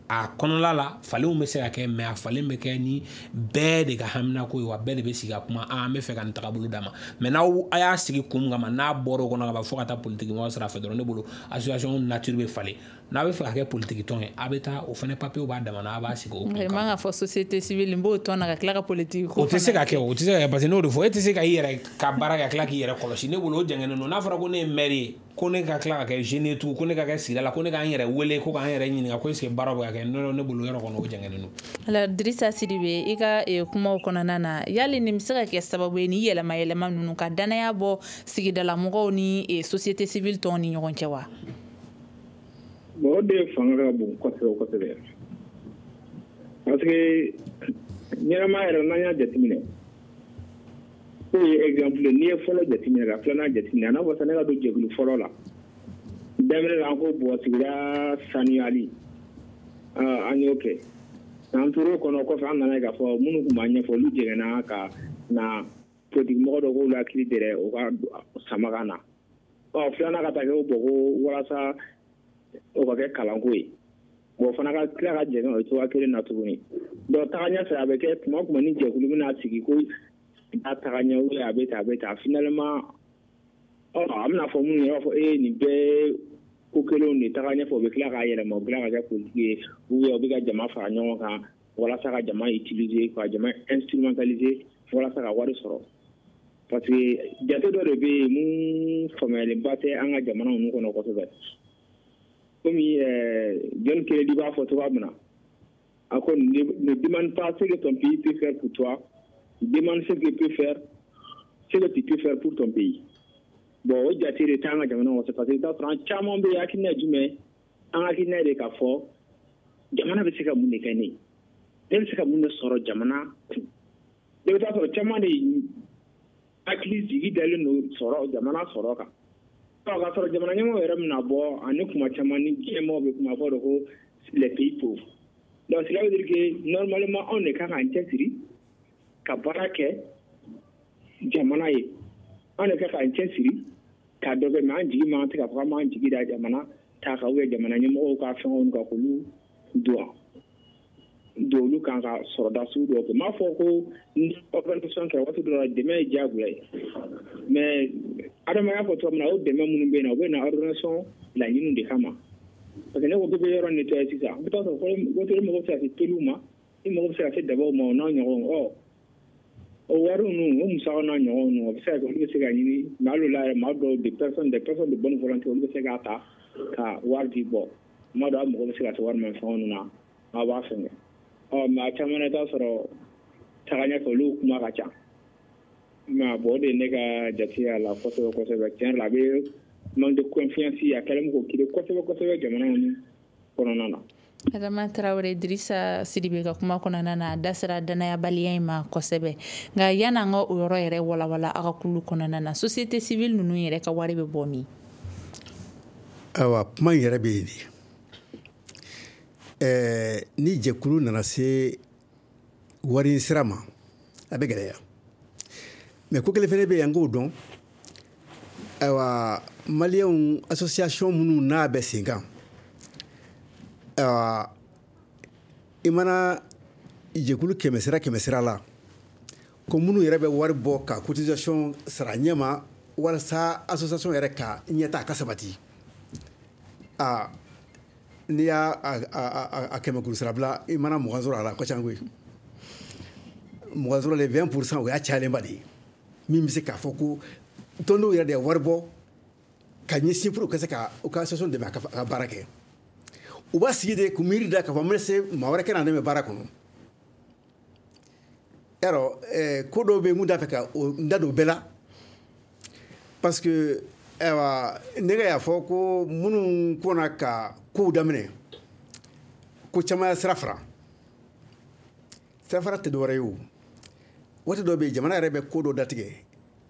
a kɔnɔla la, falenw bɛ se ka kɛ, mais a falen bɛ kɛ ni bɛɛ de ka haminako ye wa, bɛɛ de bɛ sigi ka kuma, an bɛ fɛ ka nin tagabolo d'a ma. Mais n'aw a y'a sigi kun min kama, n'a bɔra o kɔnɔ ka ban fo ka taa politique mɔgɔ sira fɛ dɔrɔn, ne bolo association nature bɛ falen. N'a bɛ fɛ ka kɛ politique tɔn ye, a bɛ taa o fana papier b'a dama na, a b'a sigi o kun kama. Man ka fɔ société civile n b'o tɔn na ka tila ka politique ko. O tɛ se ka kɛ, o tɛ se ka kɛ, parce que n'o de fɔ, e tɛ se ka i yɛrɛ ka baara kɛ ka tila k'i yɛrɛ kɔlɔsi. Ne bolo o jɛngɛnnen don. N'a fɔra ko ne ye maire ye, ko ne ka tila ka kɛ jeune tugun, ko ne ka kɛ sigida la, ko ne k'an yɛrɛ wele, ko k'an yɛrɛ ɲininka ko est ce que baara bɛ ka kɛ, ne bolo yɔrɔ kɔnɔ o jɛngɛnnen don. Alors Dirisa Sidibe, i ka kumaw kɔnɔna na, yali nin bɛ se ka kɛ sababu ye ni yɛlɛma yɛlɛma ninnu ka danaya bɔ sigidala mɔgɔw ni société civile tɔn ni ɲɔgɔn cɛ wa? Bon, o de fanga ka bon kosɛbɛ kosɛbɛ, parce que ɲɛnamaya yɛrɛ, n'an y'a jateminɛ, k'o ye exemple, n'i ye fɔlɔ jateminɛ ka filanan jateminɛ, a n'a fɔ sisan ne ka don jɛkulu fɔlɔ la, daminɛ la an ko bɔn sigida sanuyali, an y'o kɛ, an tor'o kɔnɔ. Kɔfɛ an nana ye k'a fɔ minnu tun b'a ɲɛfɔ, olu jɛngɛnna ka na politique mɔgɔ dɔ k'olu hakili dɛrɛ o ka sama ka na. Ɔ, filanan ka taa kɛ o bɔn ko walasa o ka kɛ kalanko ye, bon, fana ka tila ka jɛngɛ o cogoya kelen na tuguni. Donc taga ɲɛfɛ, a bɛ kɛ tuma o tuma ni jɛkulu bɛna sigi ko a taga ɲɛ ou a bɛ tan, a bɛ tan, finalement ɔ a bɛna fɔ minnu ye, i b'a fɔ e nin bɛɛ ko kelenw de taga ɲɛfɛ, u bɛ tila k'a yɛlɛma, u bɛ tila ka kɛ politique ye, ou bien u bɛ ka jama fara ɲɔgɔn kan walasa ka jama utiliser, ka jama instrumentaliser walasa ka wari sɔrɔ. Parce que jate dɔ de bɛ yen mun faamuyalenba tɛ an ka jamana ninnu kɔnɔ kosɛbɛ. Komi John Kennedy b'a fɔ cogoya min na, a ko: "Ne demande pas ce que ton pays peut faire pour toi, demande ce que peut faire ce que tu peux faire pour ton pays." Bon, o jate de t'an ka jamana kɔnɔ, parce que i bɛ taa sɔrɔ an caman bɛ yen, hakilina ye jumɛn ye? An hakilina de k'a fɔ jamana bɛ se ka mun de kɛ ne ye, ne bɛ se ka mun de sɔrɔ jamana kun. I bɛ taa sɔrɔ caman de hakili jigi dalen don sɔrɔ, jamana sɔrɔ kan. Ɔ, k'a sɔrɔ jamana ɲɛmɔgɔ yɛrɛ bɛna bɔ ani kuma caman ni diɲɛmɔgɔ bɛ kuma fɔ de ko les pays pauvres. Donc cela veut dire que normalement anw de kan k'an cɛsiri ka baara kɛ jamana ye, anw de kan k'an cɛsiri ka dɔ kɛ. Mais an jigi man tɛ k'a fɔ k'an b'an jigi da jamana ta kan ou bien jamana ɲɛmɔgɔw ka fɛnw kan, k'olu don olu kan ka sɔrɔda sugu dɔw kɛ. N m'a fɔ ko ni organisation kɛra waati dɔ la, dɛmɛ ye diyagoya ye, mais Adama y'a fɔ cogo min na, o dɛmɛ minnu bɛ yen nɔ, u bɛ na organisation laɲiniw de kama. Parce que ne ko k'i bɛ yɔrɔ nettoyer sisan, i bɛ taa sɔrɔ waati dɔ i mago bɛ se ka se peluw ma, i mago bɛ se ka se dabaw ma, o n'a ɲɔgɔnw. Ɔ, o wari ninnu, o musakaw n'a ɲɔgɔnw ninnu, o bɛ se ka kɛ olu bɛ se ka ɲini. Mais hali o la yɛrɛ, maa dɔw, des personnes de bonne volonté, olu bɛ se k'a ta ka wari di. Bɔ tuma dɔw, a mago bɛ se ka se wari ma fɛnw ninnu na, aw b'a fɛngɛ. Ɔ, mais a caman na, i bɛ taa sɔrɔ taga ɲɛfɛ, olu kuma ka ca. Mais bon, o de ye ne ka jate a la kosɛbɛ kosɛbɛ. Tiɲɛ yɛrɛ la, a bɛ manque de confiance, a kɛlen k'o créer kosɛbɛ kosɛbɛ jamana ninnu kɔnɔna na. Adama Tarawele, Dirisa Sidibe ka kuma kɔnɔna na, a da sera danayabaliya in ma kosɛbɛ. Nka yan'an ka o yɔrɔ yɛrɛ walawala, aw ka kulu kɔnɔna na, société civile ninnu yɛrɛ ka wari bɛ bɔ min? Ayiwa, kuma in yɛrɛ bɛ yen de. Ni jɛkulu nana se wari sira ma, a bɛ gɛlɛya. Mais ko kelen fɛnɛ bɛ yen, an k'o dɔn. Ayiwa, maliyɛnw association minnu n'a bɛ sen kan, ayiwa, i mana jɛkulu 100 sira 100 sira la, ko minnu yɛrɛ bɛ wari bɔ ka cotisation sara ɲɛma walasa association yɛrɛ ka ɲɛta ka sabati, aa, n'i y'a a 100 kuru sira bila, i mana 20 sɔrɔ a la, a ka ca koyi. 20 sɔrɔ le 20 %, o y'a cayalenba de ye. Min bɛ se k'a fɔ ko tɔndenw yɛrɛ de ye wari bɔ ka ɲɛsin pour ka se ka u ka association dɛmɛ a ka baara kɛ, u b'a sigi de k'u miiri da k'a fɔ n bɛ se maa wɛrɛ ka na dɛmɛ baara kɔnɔ. Yarɔ ko dɔw bɛ yen mun t'a fɛ ka n da don bɛɛ la, parce que ayiwa ne ka y'a fɔ ko minnu kɔnna ka kow daminɛ, ko caman ya sira fara. Sira fara tɛ dɔwɛrɛ ye o, waati dɔ bɛ yen, jamana yɛrɛ bɛ ko dɔ datigɛ,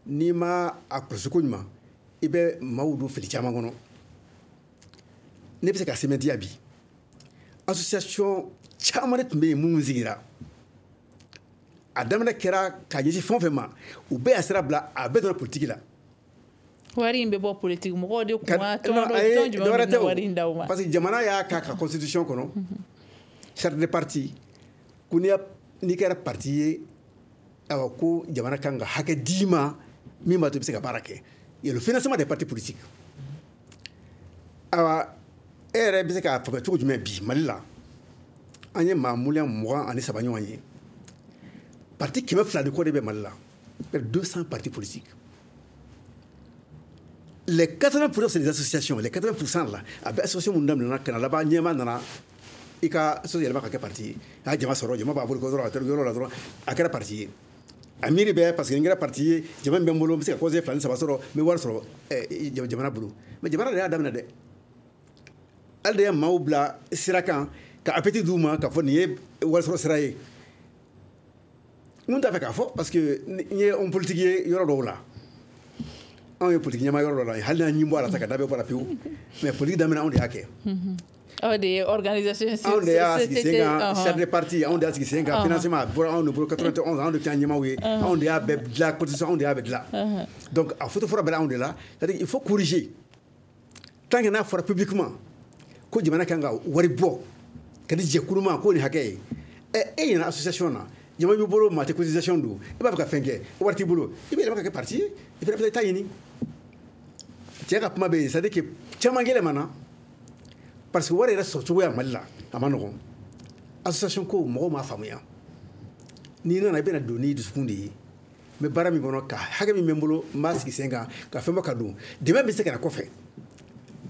n'i ma a kɔlɔsi ko ɲuman, i bɛ maaw don fili caman kɔnɔ. Ne bɛ se ka sɛmɛntiya bi, association caman de tun bɛ yen minnu sigira, a daminɛ kɛra ka ɲɛsin fɛn o fɛn ma, u bɛɛ y'a sira bila, a bɛɛ donna politique la. Wari in bɛ bɔ politique mɔgɔw de kun wa, tɔn jumɛn bɛ wari in d'aw ma? Parce que jamana y'a k'a ka constitution kɔnɔ, charte de parti, ko n'i kɛra parti ye, ayiwa ko jamana kan ka hakɛ d'i ma min b'a to i bɛ se ka baara kɛ. Il y a le financement des partis politiques. Ayiwa e yɛrɛ bɛ se k'a faamuya cogo jumɛn bi Mali la, an ye maa 23 miliyɔn ɲɔgɔn ye, parti 200 de kɔ de bɛ Mali la, 200 partis politiques. Les 80%, c'est des associations. Les 80% là, a bɛ association mun daminɛna ka na laban, ɲɛmaa nana i ka so yɛlɛma ka kɛ parti ye, a ye jama sɔrɔ, jama b'a bolo dɔrɔn, a taara yɔrɔ la dɔrɔn, a kɛra parti ye. A miiri bɛ parce que n kɛra parti ye, jama min bɛ n bolo, n bɛ se ka conseiller 2 ni 3 sɔrɔ, n bɛ wari sɔrɔ jamana bolo. Mais jamana de y'a daminɛ dɛ, ale de ye maaw bila sira kan ka appétit d'u ma k'a fɔ nin ye wari sɔrɔ sira ye. N t'a fɛ k'a fɔ parce que n ye homme politique ye yɔrɔ dɔw la, anw ye politique ɲɛmaa yɔrɔ dɔ la, hali n'an ɲin bɔ a la sa ka da bɛɛ bɔ a la pewu, mais politique daminɛ anw de y'a kɛ. Aw de ye organisation. Anw de y'a sigi sen kan, charte de parti anw de y'a sigi sen kan, financement a bɔra anw de bolo, 91 anw de kɛra ɲɛmaaw ye, anw de y'a bɛɛ dilan, constitution anw de y'a bɛɛ dilan. Donc a photo fɔlɔ bɛɛ anw de la, c'est-à-dire il faut corriger. Tant que n'a fɔra publiquement ko jamana kan ka wari bɔ ka di jɛkulu ma k'o ni hakɛ ye, ɛ e ɲɛna association na, jama b'i bolo, maa tɛ cotisation don, i b'a fɛ ka fɛn kɛ, wari t'i bolo, i bɛ yɛlɛma ka kɛ parti ye, i fana bɛ taa ɲini. Cɛ ka kuma bɛ yen, c'est-à-dire que caman yɛlɛmana parce que wari yɛrɛ sɔrɔ cogoya Mali la a ma nɔgɔn. Association ko mɔgɔw m'a faamuya, n'i nana i bɛna don n'i dusukun de ye, n bɛ baara min kɔnɔ, ka hakɛ min bɛ n bolo, n b'a sigi sen kan ka fɛn bɔ ka don, dɛmɛ bɛ se ka na kɔfɛ.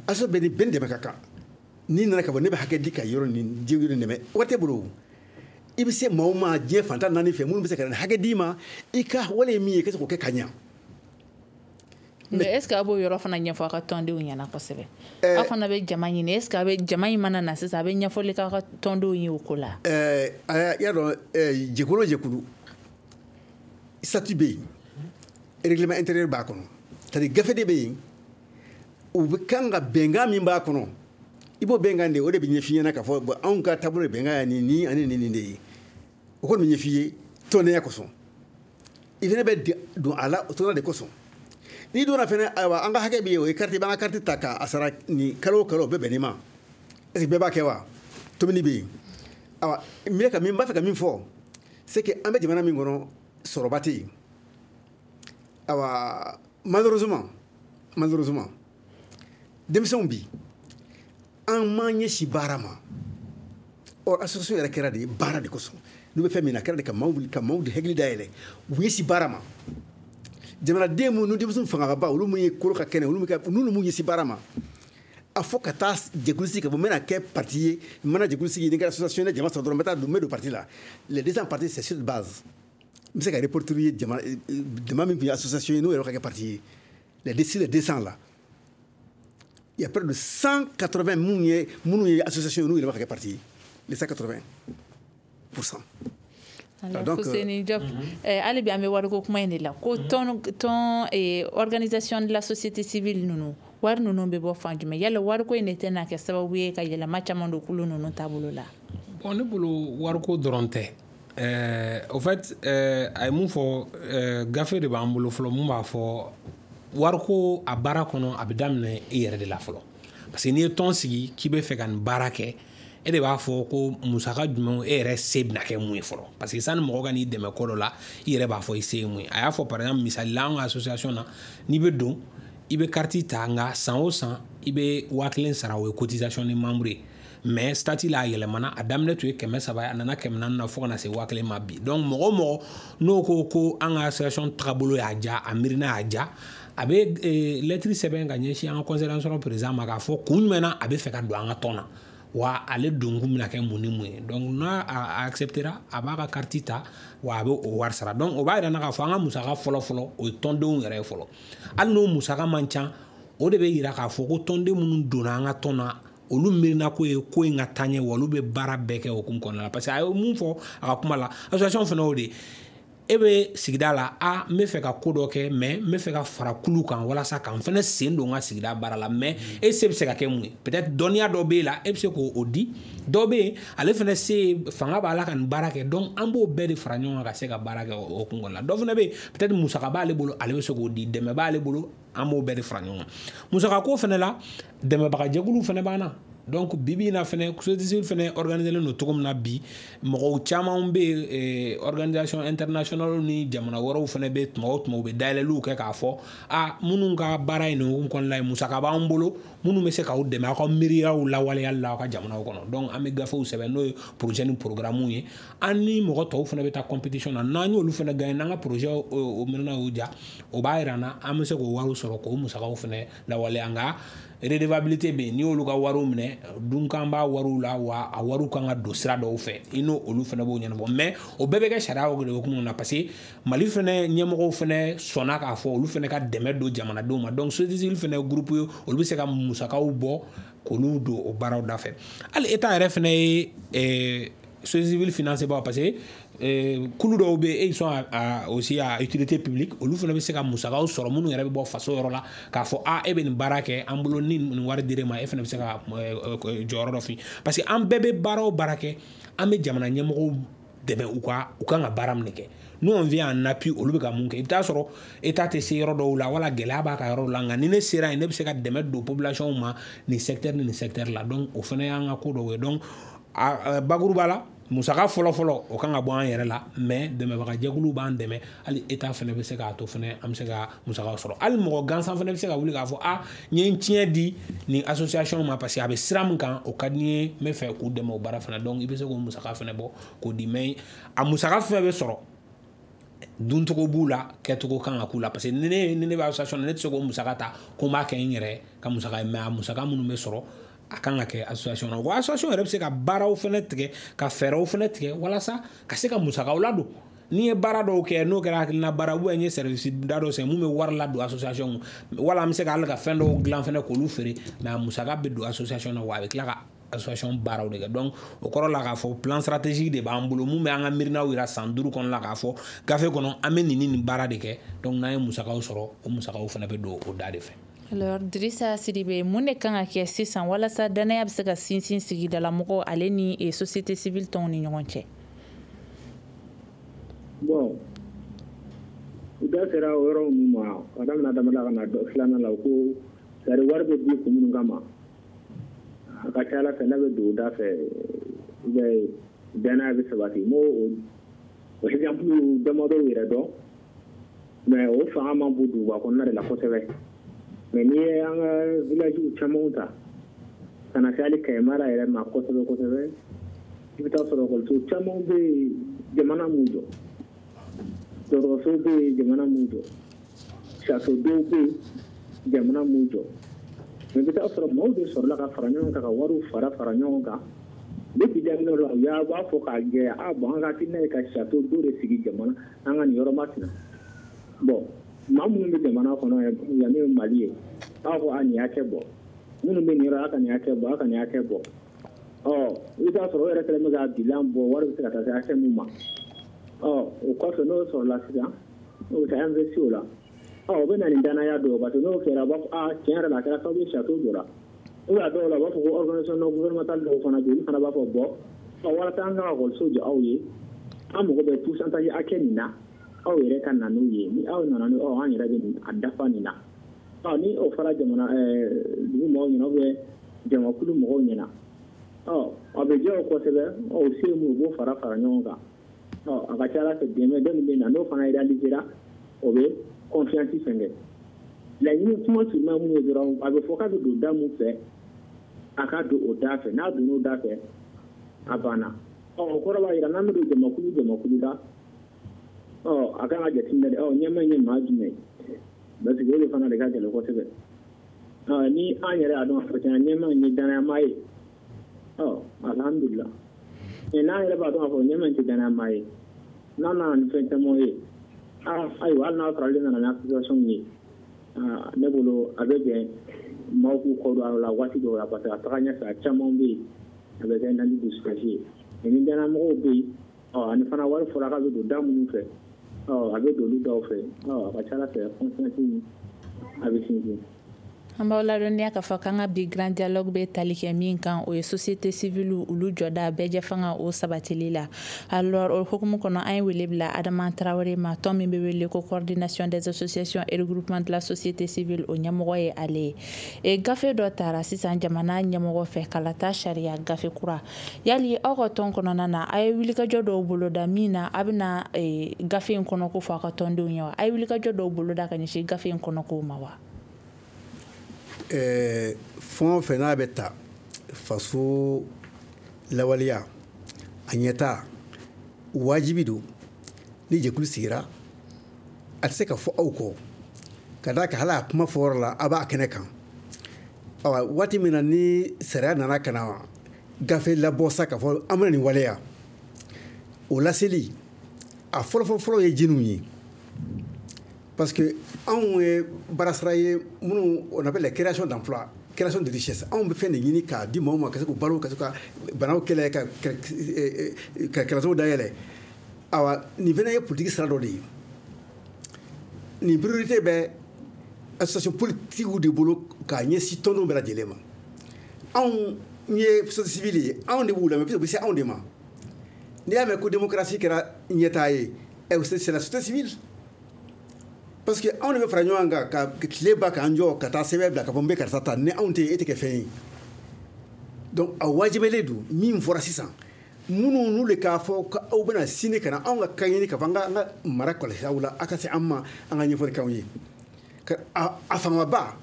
Association bɛɛ ni bɛɛ ni dɛmɛ ka kan. N'i nana ka bɔ ne bɛ hakɛ di ka yɔrɔ nin jɛkulu dɛmɛ, wari t'e bolo, i bɛ se maa o maa diɲɛ fantan naani fɛ minnu bɛ se ka na hakɛ d'i ma, i ka wale ye min ye i ka se k'o kɛ ka ɲa. Mais est ce que a b'o yɔrɔ fana ɲɛfɔ a ka tɔndenw ɲɛna kosɛbɛ? Aw fana bɛ jama ɲini, est ce que a bɛ jama in mana na sisan, a bɛ ɲɛfɔli k'aw ka tɔndenw ye o ko la? I y'a dɔn, jɛkulu o jɛkulu, statut bɛ yen, règlement intérieur b'a kɔnɔ, c'est à dire gafe de bɛ yen, u bɛ kan ka bɛnkan min b'a kɔnɔ, i b'o bɛnkan de, o de bɛ ɲɛf'i ɲɛna k'a fɔ bon anw ka taabolo ye bɛnkan ye nin nin ani nin nin de ye. O kɔni bɛ ɲɛf'i ye tɔndenya kosɔn, i fana bɛ don a la tɔndenya de kosɔn. N'i donna fana, ayiwa an ka hakɛ bɛ yen, o ye carte, i b'an ka carte ta k'a sara nin kalo o kalo, o bɛ bɛn nin ma. Est ce que bɛɛ b'a kɛ wa? Tobili bɛ yen. Ayiwa n bɛ ka min, n b'a fɛ ka min fɔ, c'est que an bɛ jamana min kɔnɔ, sɔrɔba tɛ yen. Ayiwa malheureusement denmisɛnw bi an m'an ɲɛsin baara ma. Or association yɛrɛ kɛra de ye baara de kosɔn, n'u bɛ fɛn min na, a kɛra de ka maaw wuli ka maaw de hakili dayɛlɛ, u ɲɛsin baara ma. Jamanaden minnu denmisɛnw fangaba, olu mun ye kolo ka kɛnɛ, olu n'olu m'u ɲɛsin baara ma, a fɔ ka taa jɛkulu sigi ka fɔ n bɛna kɛ parti ye, n mana jɛkulu sigi ni kɛra association ye, jama sɔrɔ dɔrɔn n bɛ taa don, n bɛ don parti la. Les 200 partis, c'est sur base. N bɛ se ka reporter ye jama jama min tun ye association ye, n'o yɛrɛ ka kɛ parti ye, les 200 là, il y a près de 180 minnu ye association ye, n'u yɛrɛ ka kɛ parti ye, les 180%. Donc Fousseni Diop, hali bi an bɛ wariko kuma in de la, ko tɔn organisation de la société civile ninnu, wari ninnu bɛ bɔ fan jumɛn? Yala wariko in de tɛna kɛ sababu ye ka yɛlɛma caman don kulu ninnu taabolo la? Bon, ne bolo wariko dɔrɔn tɛ. Au fait, a ye mun fɔ, gafe de b'an bolo fɔlɔ mun b'a fɔ wariko a baara kɔnɔ, a bɛ daminɛ i yɛrɛ de la fɔlɔ, parce que n'i ye tɔn sigi k'i bɛ fɛ ka nin baara kɛ, e de b'a fɔ ko musaka jumɛn e yɛrɛ se bɛna kɛ mun ye fɔlɔ, parce que sani mɔgɔ ka n'i dɛmɛ ko dɔ la, i yɛrɛ b'a fɔ i se ye mun ye. A y'a fɔ par exemple, misali la, an ka association na, n'i bɛ don, i bɛ carte ta, nka san o san i bɛ 1000 sara, o ye cotisation ni membre ye. Mais statut la a yɛlɛmana, a daminɛ tun ye 300 ye, a nana 400 na fo ka na se 1000 ma bi. Donc mɔgɔ o mɔgɔ n'o ko ko an ka association tagabolo y'a diya, a miirina y'a diya, a bɛ lettre sɛbɛn ka ɲɛsin an ka conseil d'administration président ma k'a fɔ kun jumɛn na a bɛ fɛ ka don an ka tɔn na. Wa ale donkun bɛna kɛ mun ni mun ye. Donc n'a a acceptera, a b'a ka carte ta, wa a bɛ o wari sara. Donc o b'a yira n na k'a fɔ an ka musaka fɔlɔ fɔlɔ, o ye tɔndenw yɛrɛ ye fɔlɔ. Hali n'o musaka man ca, o de bɛ yira k'a fɔ ko tɔnden minnu donna an ka tɔn na, olu miirina ko ye ko in ka taa ɲɛ, wa olu bɛ baara bɛɛ kɛ o hukumu kɔnɔna la. Parce que a ye mun fɔ a ka kuma la, association fana y'o de ye. E bɛ sigida la, a n bɛ fɛ ka ko dɔ kɛ, mais n bɛ fɛ ka fara kulu kan walasa ka n fana sen don n ka sigida baara la. Mais e se bɛ se ka kɛ mun ye? Peut-être dɔnniya dɔ b'e la, e bɛ se k'o di. Dɔ bɛ yen, ale fana se fanga b'a la ka nin baara kɛ. Donc an b'o bɛɛ de fara ɲɔgɔn kan ka se ka baara kɛ o kun kɔnɔna la. Dɔ fana bɛ yen, peut-être musaka b'ale bolo, ale bɛ se k'o di, dɛmɛ b'ale bolo, an b'o bɛɛ de fara ɲɔgɔn kan. Musaka ko fana la, dɛmɛbagajɛkuluw fana b'an na. Donc bi bi in na fɛnɛ, société civile fɛnɛ organisé don cogo min na bi, mɔgɔw caman bɛ yen, organisation internationale ni jamana wɛrɛw fɛnɛ bɛ, tuma o tuma u bɛ dayɛlɛliw kɛ k'a fɔ a minnu ka baara ye nin hukumu kɔnɔna ye, musaka b'an bolo minnu bɛ se k'aw dɛmɛ aw ka miiriyaw lawaleyali la aw ka jamanaw kɔnɔ. Donc an bɛ gafew sɛbɛn, n'o ye projet ni programme ye. An ni mɔgɔ tɔw fɛnɛ bɛ taa compétition na, n'an y'olu fɛnɛ gagné, n'an ka projet o miirina y'u ja, o b'a yira an na an bɛ se k'o wariw sɔrɔ k'o musakaw fɛnɛ lawaleya. Nka redevabilité bɛ yen, n'i y'olu ka wariw minɛ, dunkan b'a wariw la, wa a wariw kan ka don sira dɔw fɛ, i n'o olu fɛnɛ b'o ɲɛnabɔ. Mais o bɛɛ bɛ kɛ sariya de hukumu na, parce que Mali fɛnɛ ɲɛmɔgɔw fɛnɛ sɔnna k'a fɔ olu fɛnɛ ka dɛmɛ don jamanadenw ma. Donc société civile fɛnɛ groupe ye, olu bɛ se ka musakaw bɔ k'olu don o baaraw da fɛ. Hali État yɛrɛ fɛnɛ ye société civile financé ba, parce que kulu dɔw bɛ yen, ils sont aussi à utilité publique, olu fana bɛ se ka musakaw sɔrɔ minnu yɛrɛ bɛ bɔ faso yɔrɔ la k'a fɔ a e bɛ nin baara kɛ an bolo, ni nin wari dir'e ma, e fana bɛ se ka jɔyɔrɔ dɔ fi. Parce que an bɛɛ bɛ baara o baara kɛ, an bɛ jamana ɲɛmɔgɔw dɛmɛ u kan ka baara min kɛ. Nous on vient en appui, olu bɛ ka mun kɛ. I bɛ taa sɔrɔ État tɛ se yɔrɔ dɔw la, wala gɛlɛya b'a ka yɔrɔ la, nka ni ne sera yen, ne bɛ se ka dɛmɛ don population ma nin secteur ni nin secteur la. Donc o fana y'an ka ko dɔw ye. Donc bakuruba la, musaka fɔlɔ-fɔlɔ o kan ka bɔ an yɛrɛ la, mais dɛmɛbagajɛkuluw b'an dɛmɛ. Hali État fana bɛ se k'a to fana an bɛ se ka musakaw sɔrɔ. Hali mɔgɔ gansan fana bɛ se ka wuli k'a fɔ a n ye n tiɲɛ di nin association ma, parce que a bɛ sira min kan, o ka di n ye, n bɛ fɛ k'u dɛmɛ o baara fana. Donc i bɛ se k'o musaka fana bɔ k'o di. Mais a musaka fɛn bɛ sɔrɔ, duncogo b'u la, kɛcogo kan ka k'u la. Parce que ni ne bɛ association na, ne tɛ se k'o musaka ta ko n b'a kɛ n yɛrɛ ka musaka ye. Mais a musaka minnu bɛ sɔrɔ, a kan ka kɛ association na. Wa association yɛrɛ bɛ se ka baaraw fana tigɛ, ka fɛɛrɛw fana tigɛ walasa ka se ka musakaw ladon. N'i ye baara dɔw kɛ, n'o kɛra hakilina baara, ou bien n ye service da dɔ sɛgɛn mun bɛ wari ladon association, wala an bɛ se ka hali ka fɛn dɔw dilan fana k'olu feere, mais a musaka bɛ don association na, wa a bɛ tila ka association baaraw de kɛ. Donc o kɔrɔ la k'a fɔ plan stratégique de b'an bolo mun bɛ an ka miirinaw yira san 5 kɔnɔ la, k'a fɔ gafe kɔnɔ an bɛ nin ni nin baara de kɛ. Donc n'an ye musakaw sɔrɔ, o musakaw fana bɛ don o da de fɛ. Alors Drissa Sidibe, mun de kan ka kɛ sisan walasa danaya bɛ se ka sinsin sigidalamɔgɔw ale ni société civile tɔnw ni ɲɔgɔn cɛ? Bon, u da sera o yɔrɔ ninnu ma ka daminɛ daminɛ ka na filanan la, ko sari wari bɛ di kun minnu kama, a ka ca ala fɛ n'a bɛ don o da fɛ, i b'a ye danaya bɛ sabati. N b'o o exemple damadɔw yɛrɛ dɔn, mais o fanga man bon duguba kɔnɔna de la kosɛbɛ. Mais n'i ye an ka village camanw ta ka na se hali Kayi mara yɛrɛ ma kosɛbɛ kosɛbɛ, i bɛ taa sɔrɔ ekɔliso caman bɛ yen jamana m'u jɔ, dɔgɔtɔrɔso bɛ yen jamana m'u jɔ, château dɔw bɛ yen jamana m'u jɔ. Mais i bɛ taa sɔrɔ maaw de sɔrɔla ka fara ɲɔgɔn kan, ka wariw fara ɲɔgɔn kan. Depuis daminɛ la, u y'a b'a fɔ k'a jɛya, a bon an ka hakilina ye ka château dɔ de sigi jamana an ka nin yɔrɔ masina. Bon, maa minnu bɛ jamana kɔnɔ yan, n'o ye Mali ye, a b'a fɔ a nin hakɛ bɔ, minnu bɛ nin yɔrɔ a ka nin hakɛ bɔ, a ka nin hakɛ bɔ. Ɔ i bɛ taa sɔrɔ o yɛrɛ kɛlen bɛ ka bilan bɔ, wari bɛ se ka taa se hakɛ min ma. Ɔ o kɔfɛ n'o sɔrɔla sisan, n'o bɛ taa investi o la, ɔ o bɛ na ni danaya dɔ ye, parce que n'o kɛra a b'a fɔ a tiɲɛ yɛrɛ la a kɛra sababu ye château jɔra. Ou bien a dɔw la u b'a fɔ ko organisation non gouvernementale dɔw fana bɛ yen, olu fana b'a fɔ bɔn ɔ walasa an ka ekɔliso jɔ aw ye, an mago bɛ pourcentage hakɛ nin na, aw yɛrɛ ka na n'o ye, ni aw nana n'o an yɛrɛ bɛ a dafa nin na. Ɔ ni o fɔra jamana dugu mɔgɔw ɲɛna ou bien jamakulu mɔgɔw ɲɛna, ɔ a bɛ diya o kosɛbɛ, ɔ o se mun u b'o fara ɲɔgɔn kan. Ɔ a ka ca ala fɛ dɛmɛ dɔ min bɛ na n'o fana réalisera, o bɛ confiance fɛnkɛ. Laɲini kuma surunna mun ye dɔrɔn, a bɛ fɔ k'a bɛ don da mun fɛ, a ka don o da fɛ, n'a donn'o da fɛ a banna. Ɔ o kɔrɔ b'a jira n'an bɛ don jamakulu la, ɔ a kan ka jateminɛ de, ɔ ɲɛmaa in ye maa jumɛn ye, parce que o de fana de ka gɛlɛn kosɛbɛ. Ɔ ni an yɛrɛ y'a dɔn k'a fɔ tiɲɛna ɲɛmaa in ye danayama ye, Ɔ alhamdulillah, mais n'an yɛrɛ b'a dɔn k'a fɔ ɲɛmɛ tɛ danaya ye, n'a nana ni fɛn caman ye, ayiwa, hali n'a sɔrɔ ale nana ni association ye, ne bolo a bɛ bɛn maaw k'u kɔ don a la waati dɔw la, parce que a taga ɲɛfɛ a caman bɛ yen a bɛ kɛ nani dusukasi ye. Mais ni danayamɔgɔw bɛ yen, ɔ ani fana wari fɔra k'a bɛ don da minnu fɛ, ɔ a bɛ don olu daw fɛ, ɔ a ka ca ala fɛ confiance a bɛ sinsin. An b'aw ladɔnniya k'a fɔ k'an ka bi grand dialogue bɛ tali kɛ min kan, o ye société civile olu jɔda bɛɛjɛ fanga o sabatili la. Alors, o hukumu kɔnɔ, an ye wele bila Adama Tarawele ma, tɔn min bɛ wele ko Coordination des associations et regroupement de la société civile, o ɲɛmɔgɔ ye ale ye. Gafe dɔ tara sisan jamana ɲɛmɔgɔ fɛ, kalata sariya gafe kura. Yali aw ka tɔn kɔnɔna na, a ye wulikajɔ dɔw boloda min na a bɛna gafe in kɔnɔ ko fɔ aw ka tɔndenw ye wa? A ye wulikajɔ dɔw boloda ka ɲɛsin gafe in kɔnɔkow ma wa? Fɛn o fɛn n'a bɛ ta faso lawaleya a ɲɛta, wajibi don ni jɛkulu sigira, a tɛ se ka fɔ aw kɔ, ka d'a kan hali a kuma fɔyɔrɔ la, a b'a kɛnɛ kan. Awa, waati min na ni sariya nana ka na gafe labɔ sa k'a fɔ an bɛna nin waleya, o laseli a fɔlɔ-fɔlɔ ye jiniw ye, parce que anw ye baarasara ye minnu, on appelle la création d'emploi, création de richesse. Anw bɛ fɛn de ɲini k'a di maaw ma ka se k'u balo, ka se ka banaw kɛlɛ, ka kalansow dayɛlɛ. Awa, nin fana ye politique sira dɔ de ye. Nin priorité bɛ association politique de bolo k'a ɲɛsin tɔndenw bɛɛ lajɛlen ma. Anw ye société civile ye, anw de b'u lamɛn, puisque u bɛ se anw de ma. N'i y'a mɛn ko démocratie kɛra ɲɛtaa ye, c'est la société civile, parce que anw de bɛ fara ɲɔgɔn kan ka tile ba k'an jɔ ka taa sɛbɛn bila k'a fɔ n bɛ karisa ta. Ni anw tɛ, e tɛ kɛ fɛn ye. Donc a wajibiyalen don min fɔra sisan, minnu n'u de k'a fɔ ko aw bɛna sini ka na anw ka kan ɲini k'a fɔ an ka mara kɔlɔsi aw la, aw ka se an ma, an ka ɲɛfɔli k'anw ye. A fangaba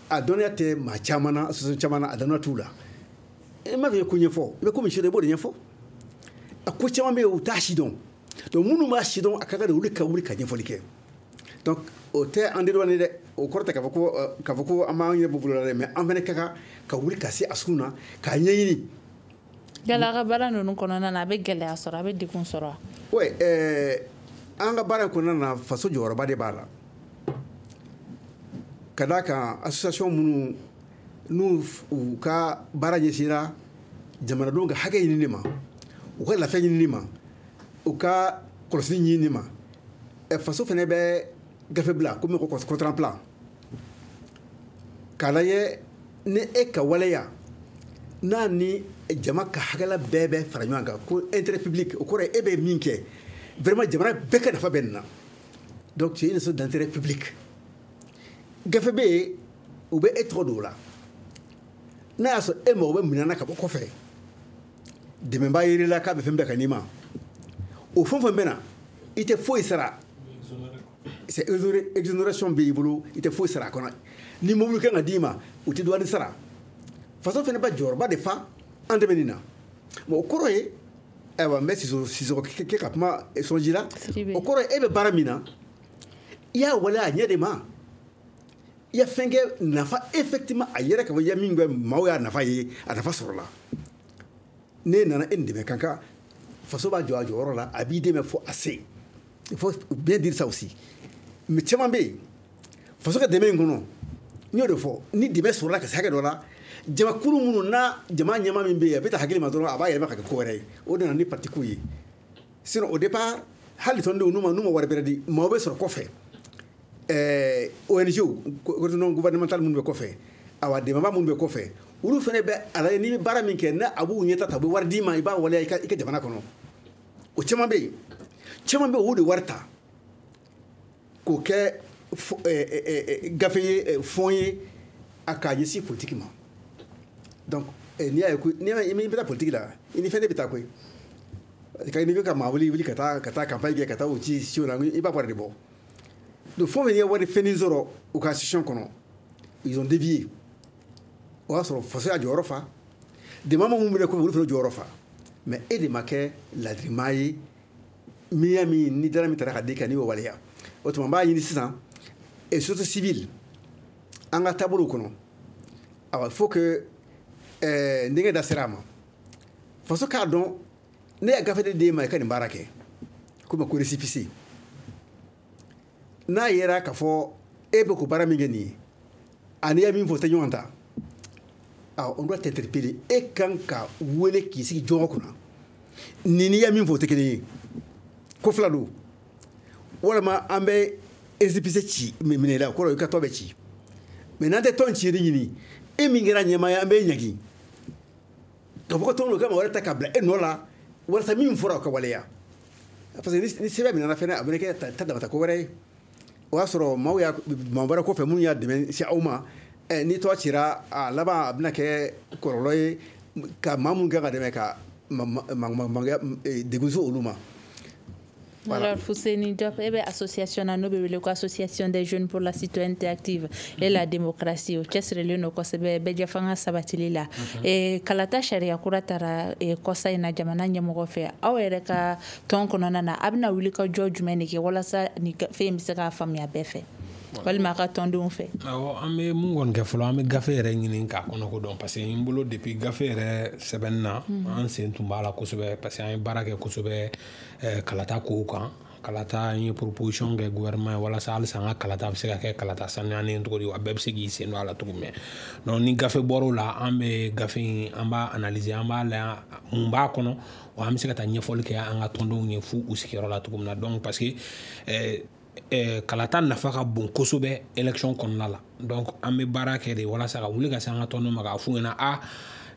a dɔnniya tɛ maa caman na, association caman na, a dɔnniya t'u la. I m'a fɔ i ye ko ɲɛfɔ, i bɛ ko min sidɔn, i b'o de ɲɛfɔ. A ko caman bɛ yen, u t'a si dɔn. Donc minnu b'a si dɔn, a ka kan de olu ka wuli ka ɲɛfɔli kɛ. Donc o tɛ an dédouaner dɛ, o kɔrɔ tɛ k'a fɔ ko an b'an ɲɛ bɔ bolo la dɛ, mais an fana ka kan ka wuli ka se a sun na k'a ɲɛɲini. Yala a ka baara ninnu kɔnɔna na, a bɛ gɛlɛya sɔrɔ, a bɛ degun sɔrɔ wa? Oui, an ka baara in kɔnɔna na, faso jɔyɔrɔba de b'a la, ka d'a kan association minnu n'u u ka baara ɲɛsinra jamanadenw ka hakɛ ɲinini ma, u ka lafiya ɲinini ma, u ka kɔlɔsili ɲinini ma, faso fana bɛ gafe bila komi ko contrat plan k'a lajɛ ni e ka waleya n'a ni jama ka hakɛla bɛɛ bɛ fara ɲɔgɔn kan, ko intérêt public. O kɔrɔ ye e bɛ min kɛ, vraiment jamana bɛɛ ka nafa bɛ nin na. Donc c'est une sorte d'intérêt public. Gafe bɛ yen, u bɛ e tɔgɔ don o la. N'a y'a sɔrɔ e mago bɛ minɛn na ka bɔ kɔfɛ, dɛmɛbaa yer'i la k'a bɛ fɛn bɛɛ ka n'i ma, o fɛn o fɛn bɛ na, i tɛ foyi sara. C'est exonération bɛ i bolo, i tɛ foyi sara a kɔnɔ. Ni mobili kan ka d'i ma, u tɛ douane sara. Faso fana bɛ jɔyɔrɔba de fa an dɛmɛ nin na. Bon, o kɔrɔ ye, ayiwa, n bɛ Sisɔkɔ kɛ ka kuma sɔnji la. O kɔrɔ ye e bɛ baara min na, i y'a waleya a ɲɛ de ma, i ya fɛn kɛ nafa effectivement a yɛrɛ ka fɔ i ya min kɛ, maaw y'a nafa ye, a nafa sɔrɔla. Ne nana e ni dɛmɛ kan kan, faso b'a jɔ a jɔyɔrɔ la, a b'i dɛmɛ fo a se. Il faut bien dire ça aussi. Mais caman bɛ yen, faso ka dɛmɛ in kɔnɔ, n y'o de fɔ, ni dɛmɛ sɔrɔla ka se hakɛ dɔ la, jamakulu minnu n'a jama ɲɛmaa min bɛ yen, a bɛ taa hakili ma dɔrɔn, a b'a yɛlɛma ka kɛ ko wɛrɛ ye. O de nana ni parti ko ye. Sinon au départ, hali tɔndenw n'u ma wari bɛrɛ di, maaw bɛ sɔrɔ kɔfɛ, ONG non gouvernemental minnu bɛ kɔfɛ, awa dɛmɛbaa minnu bɛ kɔfɛ, olu fana bɛ a lajɛ n'i bɛ baara min kɛ, n'a a b'u ɲɛta ta, u bɛ wari d'i ma, i b'a waleya i ka jamana kɔnɔ. O caman bɛ yen, caman bɛ yen, o de wari ta k'o kɛ gafe ye, fɔn ye, a k'a ɲɛsin politique ma. Donc n'i y'a ye ko n'i bɛ taa politique la, i ni fɛn de bɛ taa koyi. Ka n'i bɛ ka maa wuli ka taa campagne kɛ, ka taa o ci o la, i b'a wari de bɔ. Donc fɛn o fɛn ye wari fɛnnin sɔrɔ u ka institution kɔnɔ, ils ont dévié. O y'a sɔrɔ faso y'a jɔyɔrɔ fa, dɛmɛ minnu bɛ kɔfɛ, olu fana jɔyɔrɔ fa. Mais e de ma kɛ ladirimaa ye, min y'a min ni dara min taara ka di kan, n'i y'o waleya. O tuma n b'a ɲini sisan et société civile an ka taabolow kɔnɔ, awa, il faut que n denkɛ da sera a ma. Faso k'a dɔn ne y'a gafe de d'e ma i ka nin baara kɛ, komi ko récépissé. N'a yera k'a fɔ e bɛ k'o baara min kɛ nin ye, ani ye min fɔ o tɛ ɲɔgɔn ta, ah, on doit t'interpeller. E kan ka wele k'i sigi jɔn kunna, nin n'i ye min fɔ o tɛ kelen ye, ko fila don. Walima an bɛ récépissé ci minɛ i la, o kɔrɔ i ka tɔn bɛ ci. Mais n'an tɛ tɔn ci ɲini, e min kɛra ɲɛmaa ye, an b'e ɲangi ka fɔ ko tɔn ka maa wɛrɛ ta ka bila e nɔ la, walasa min fɔra o ka waleya. Parce que ni sɛbɛn minɛna fɛnɛ, a bɛ kɛ ta damata ko wɛrɛ ye. O y'a sɔrɔ maaw y'a maa wɛrɛ kɔfɛ minnu y'a dɛmɛ se aw ma. Ni tɔgɔ cira, a laban a bɛna kɛ kɔlɔlɔ ye ka maa minnu kan ka dɛmɛ ka degun se olu ma. Voilà. Alors, Fousseni Diop, e bɛ association na n'o bɛ wele ko Association des jeunes pour la citoyenneté active et la démocratie. O cɛsirilen don kosɛbɛ bɛɛjɛfanga sabatili la. Kalata sariya kura taara kɔsa in na jamana ɲɛmɔgɔ fɛ. Aw yɛrɛ ka tɔn kɔnɔna na, a bɛna wuli ka jɔ jumɛn de kɛ walasa nin fɛn in bɛ se k'a faamuya bɛɛ fɛ, walima a ka tɔndenw fɛ? Awɔ, an bɛ mun kɔni kɛ fɔlɔ, an bɛ gafe yɛrɛ ɲini k'a kɔnɔko dɔn, parce que n bolo depuis gafe yɛrɛ sɛbɛnni na, an sen tun b'a la kosɛbɛ, parce que an ye baara kɛ kosɛbɛ kalata kow kan. Kalata, an ye proposition kɛ gouvernement ye walasa halisa an ka kalata bɛ se ka kɛ kalata sanuyalen cogo di, wa bɛɛ bɛ se k'i sen don a la cogo min. Donc ni gafe bɔr'o la, an bɛ gafe in, an b'a analyser, an b'a lajɛ mun b'a kɔnɔ, wa an bɛ se ka taa ɲɛfɔli kɛ an ka tɔndenw ye f'u u sigiyɔrɔ la cogo min na. Donc parce que kalata nafa ka bon kosɛbɛ élection kɔnɔna la. Donc an bɛ baara kɛ de walasa ka wuli ka se an ka tɔndenw ma k'a f'u ɲɛna, a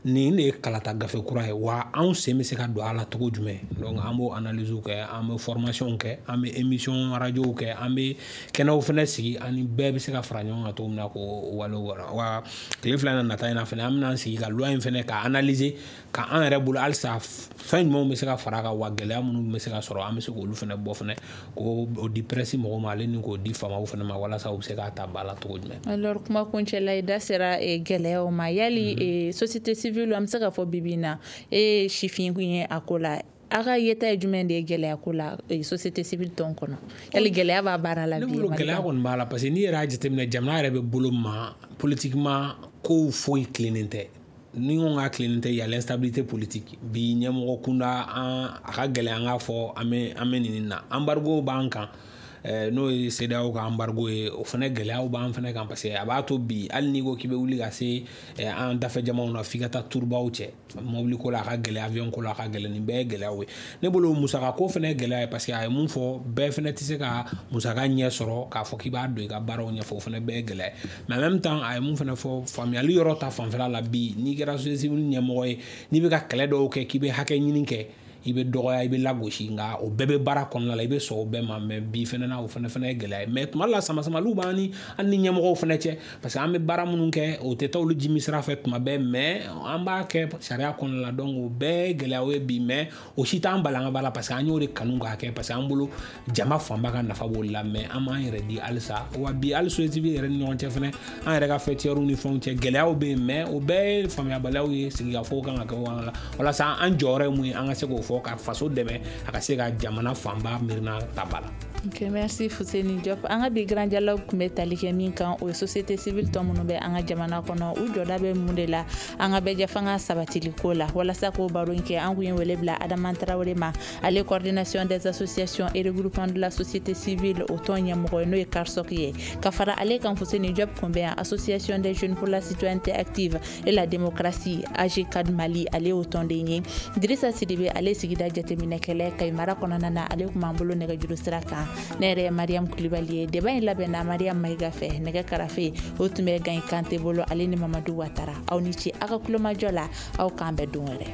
nin de ye kalata gafe kura ye, wa anw sen bɛ se ka don a la cogo jumɛn. Donc an b'o analyse kɛ, an bɛ formation kɛ, an bɛ émission radio kɛ, an bɛ kɛnɛw fɛnɛ sigi ani bɛɛ bɛ se ka fara ɲɔgɔn kan cogo min na k'o walew. Wa tile 2 in na nata in na fɛnɛ, an bɛna an sigi ka loi in fɛnɛ ka analyser ka an yɛrɛ bolo halisa fɛn jumɛnw bɛ se ka fara a kan, wa gɛlɛya minnu bɛ se ka sɔrɔ, an bɛ se k'olu fɛnɛ bɔ fɛnɛ k'o di presse mɔgɔw ma, ale ni k'o di faamaw fɛnɛ ma, walasa u bɛ se k'a ta ba la cogo jumɛn. Alors, kuma kuncɛla, i da sera gɛlɛyaw ma. Yali société civile, an bɛ se k'a fɔ bi bi in na, e ye sifin ye a ko la, a ka yeta ye jumɛn de ye gɛlɛya ko la société civile tɔn kɔnɔ? Yali gɛlɛya b'a baara la bi? Ne bolo gɛlɛya kɔni b'a la, parce que n'i yɛrɛ y'a jateminɛ, jamana yɛrɛ bɛ bolo ma politiquement, kow foyi tilennen tɛ. Ni ko k'a tilennen tɛ, y a l'instabilité politique. Bi ɲɛmɔgɔ kunda, an a ka gɛlɛn an k'a fɔ an bɛ nin na. Embargo b'an kan, n'o ye CEDEAO ka embargo ye, o fana gɛlɛyaw b'an fana kan, parce que a b'a to bi hali n'i ko k'i bɛ wuli ka se an dafɛ jamaw na, f'i ka taa turubaw cɛ. Mobili ko la a ka gɛlɛn, avion ko la a ka gɛlɛn, nin bɛɛ ye gɛlɛyaw ye. Ne bolo musaka ko fana ye gɛlɛya ye, parce que a ye mun fɔ, bɛɛ fana tɛ se ka musaka ɲɛ sɔrɔ k'a fɔ k'i b'a don i ka baaraw ɲɛfɔ, o fana bɛɛ ye gɛlɛya ye. Mais en même temps, a ye mun fana fɔ, faamuyali yɔrɔ ta fanfɛla la, bi n'i kɛra société civile ɲɛmɔgɔ ye, n'i bɛ ka kɛlɛ dɔw kɛ k'i bɛ hakɛ ɲini kɛ, i bɛ dɔgɔya, i bɛ lagosi, nka o bɛɛ bɛ baara kɔnɔna la, i bɛ sɔn o bɛɛ ma. Mais bi fɛnɛ na, o fɛnɛ ye gɛlɛya ye. Mais tuma dɔ la, sama-samaliw b'an ni an ni ɲɛmɔgɔw fɛnɛ cɛ, parce que an bɛ baara minnu kɛ, o tɛ taa olu jimi sira fɛ tuma bɛɛ, mais an b'a kɛ sariya kɔnɔna la. Donc o bɛɛ ye gɛlɛyaw ye bi, mais o si t'an bali an ka baara la, parce que an y'o de kanu k'a kɛ, parce que an bolo jama fanba ka nafa b'o la. Mais an b'an yɛrɛ di halisa, wa bi hali société civile yɛrɛ ni ɲɔgɔn cɛ fɛnɛ, an yɛrɛ ka fêtières ni fɛnw cɛ, gɛlɛyaw bɛ yen, mais o bɛɛ ye faamuyabaliyaw ye. Sigikafɔw kan ka kɛ o la walasa an jɔyɔrɔ ye mun ye, an ka se k'o fɔ ka faso dɛmɛ a ka se ka jamana fanba miirina ta ba la. Ok, merci Fousseni Diop. An ka bi grand dialogue tun bɛ tali kɛ min kan, o ye société civile tɔn minnu bɛ an ka jamana kɔnɔ, u jɔda bɛ mun de la an ka bɛɛjɛfanga sabatili ko la. Walasa k'o baro in kɛ, an kun ye wele bila Adama Traoré ma, ale coordination des associations et regroupements de la société civile o tɔn ɲɛmɔgɔ ye, n'o ye CARSOC ye. Ka fara ale kan, Fousseni Diop kun bɛ yan, Association des jeunes pour la citoyenneté active et la démocratie AJCAD Mali, ale y'o tɔnden ye. Dirisa Sidibe, ale sigida jateminɛkɛla Kayi mara kɔnɔna na, ale kun b'an bolo nɛgɛjuru sira kan. Ne yɛrɛ ye Mariam Kulibali ye. Débat in labɛnna Mariam Mayiga fɛ, nɛgɛ karafe o tun bɛ Gayi Kante bolo, ale ni Mamadu Watara. Aw ni ce aw ka kulomajɔ la, aw k'an bɛn don wɛrɛ.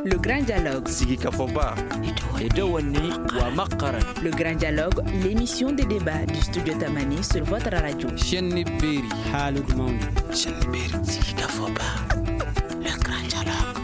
Le Grand Dialogue. Le Grand Dialogue, l'émission de débat du Studio Tamani sur votre radio. Le Grand Dialogue.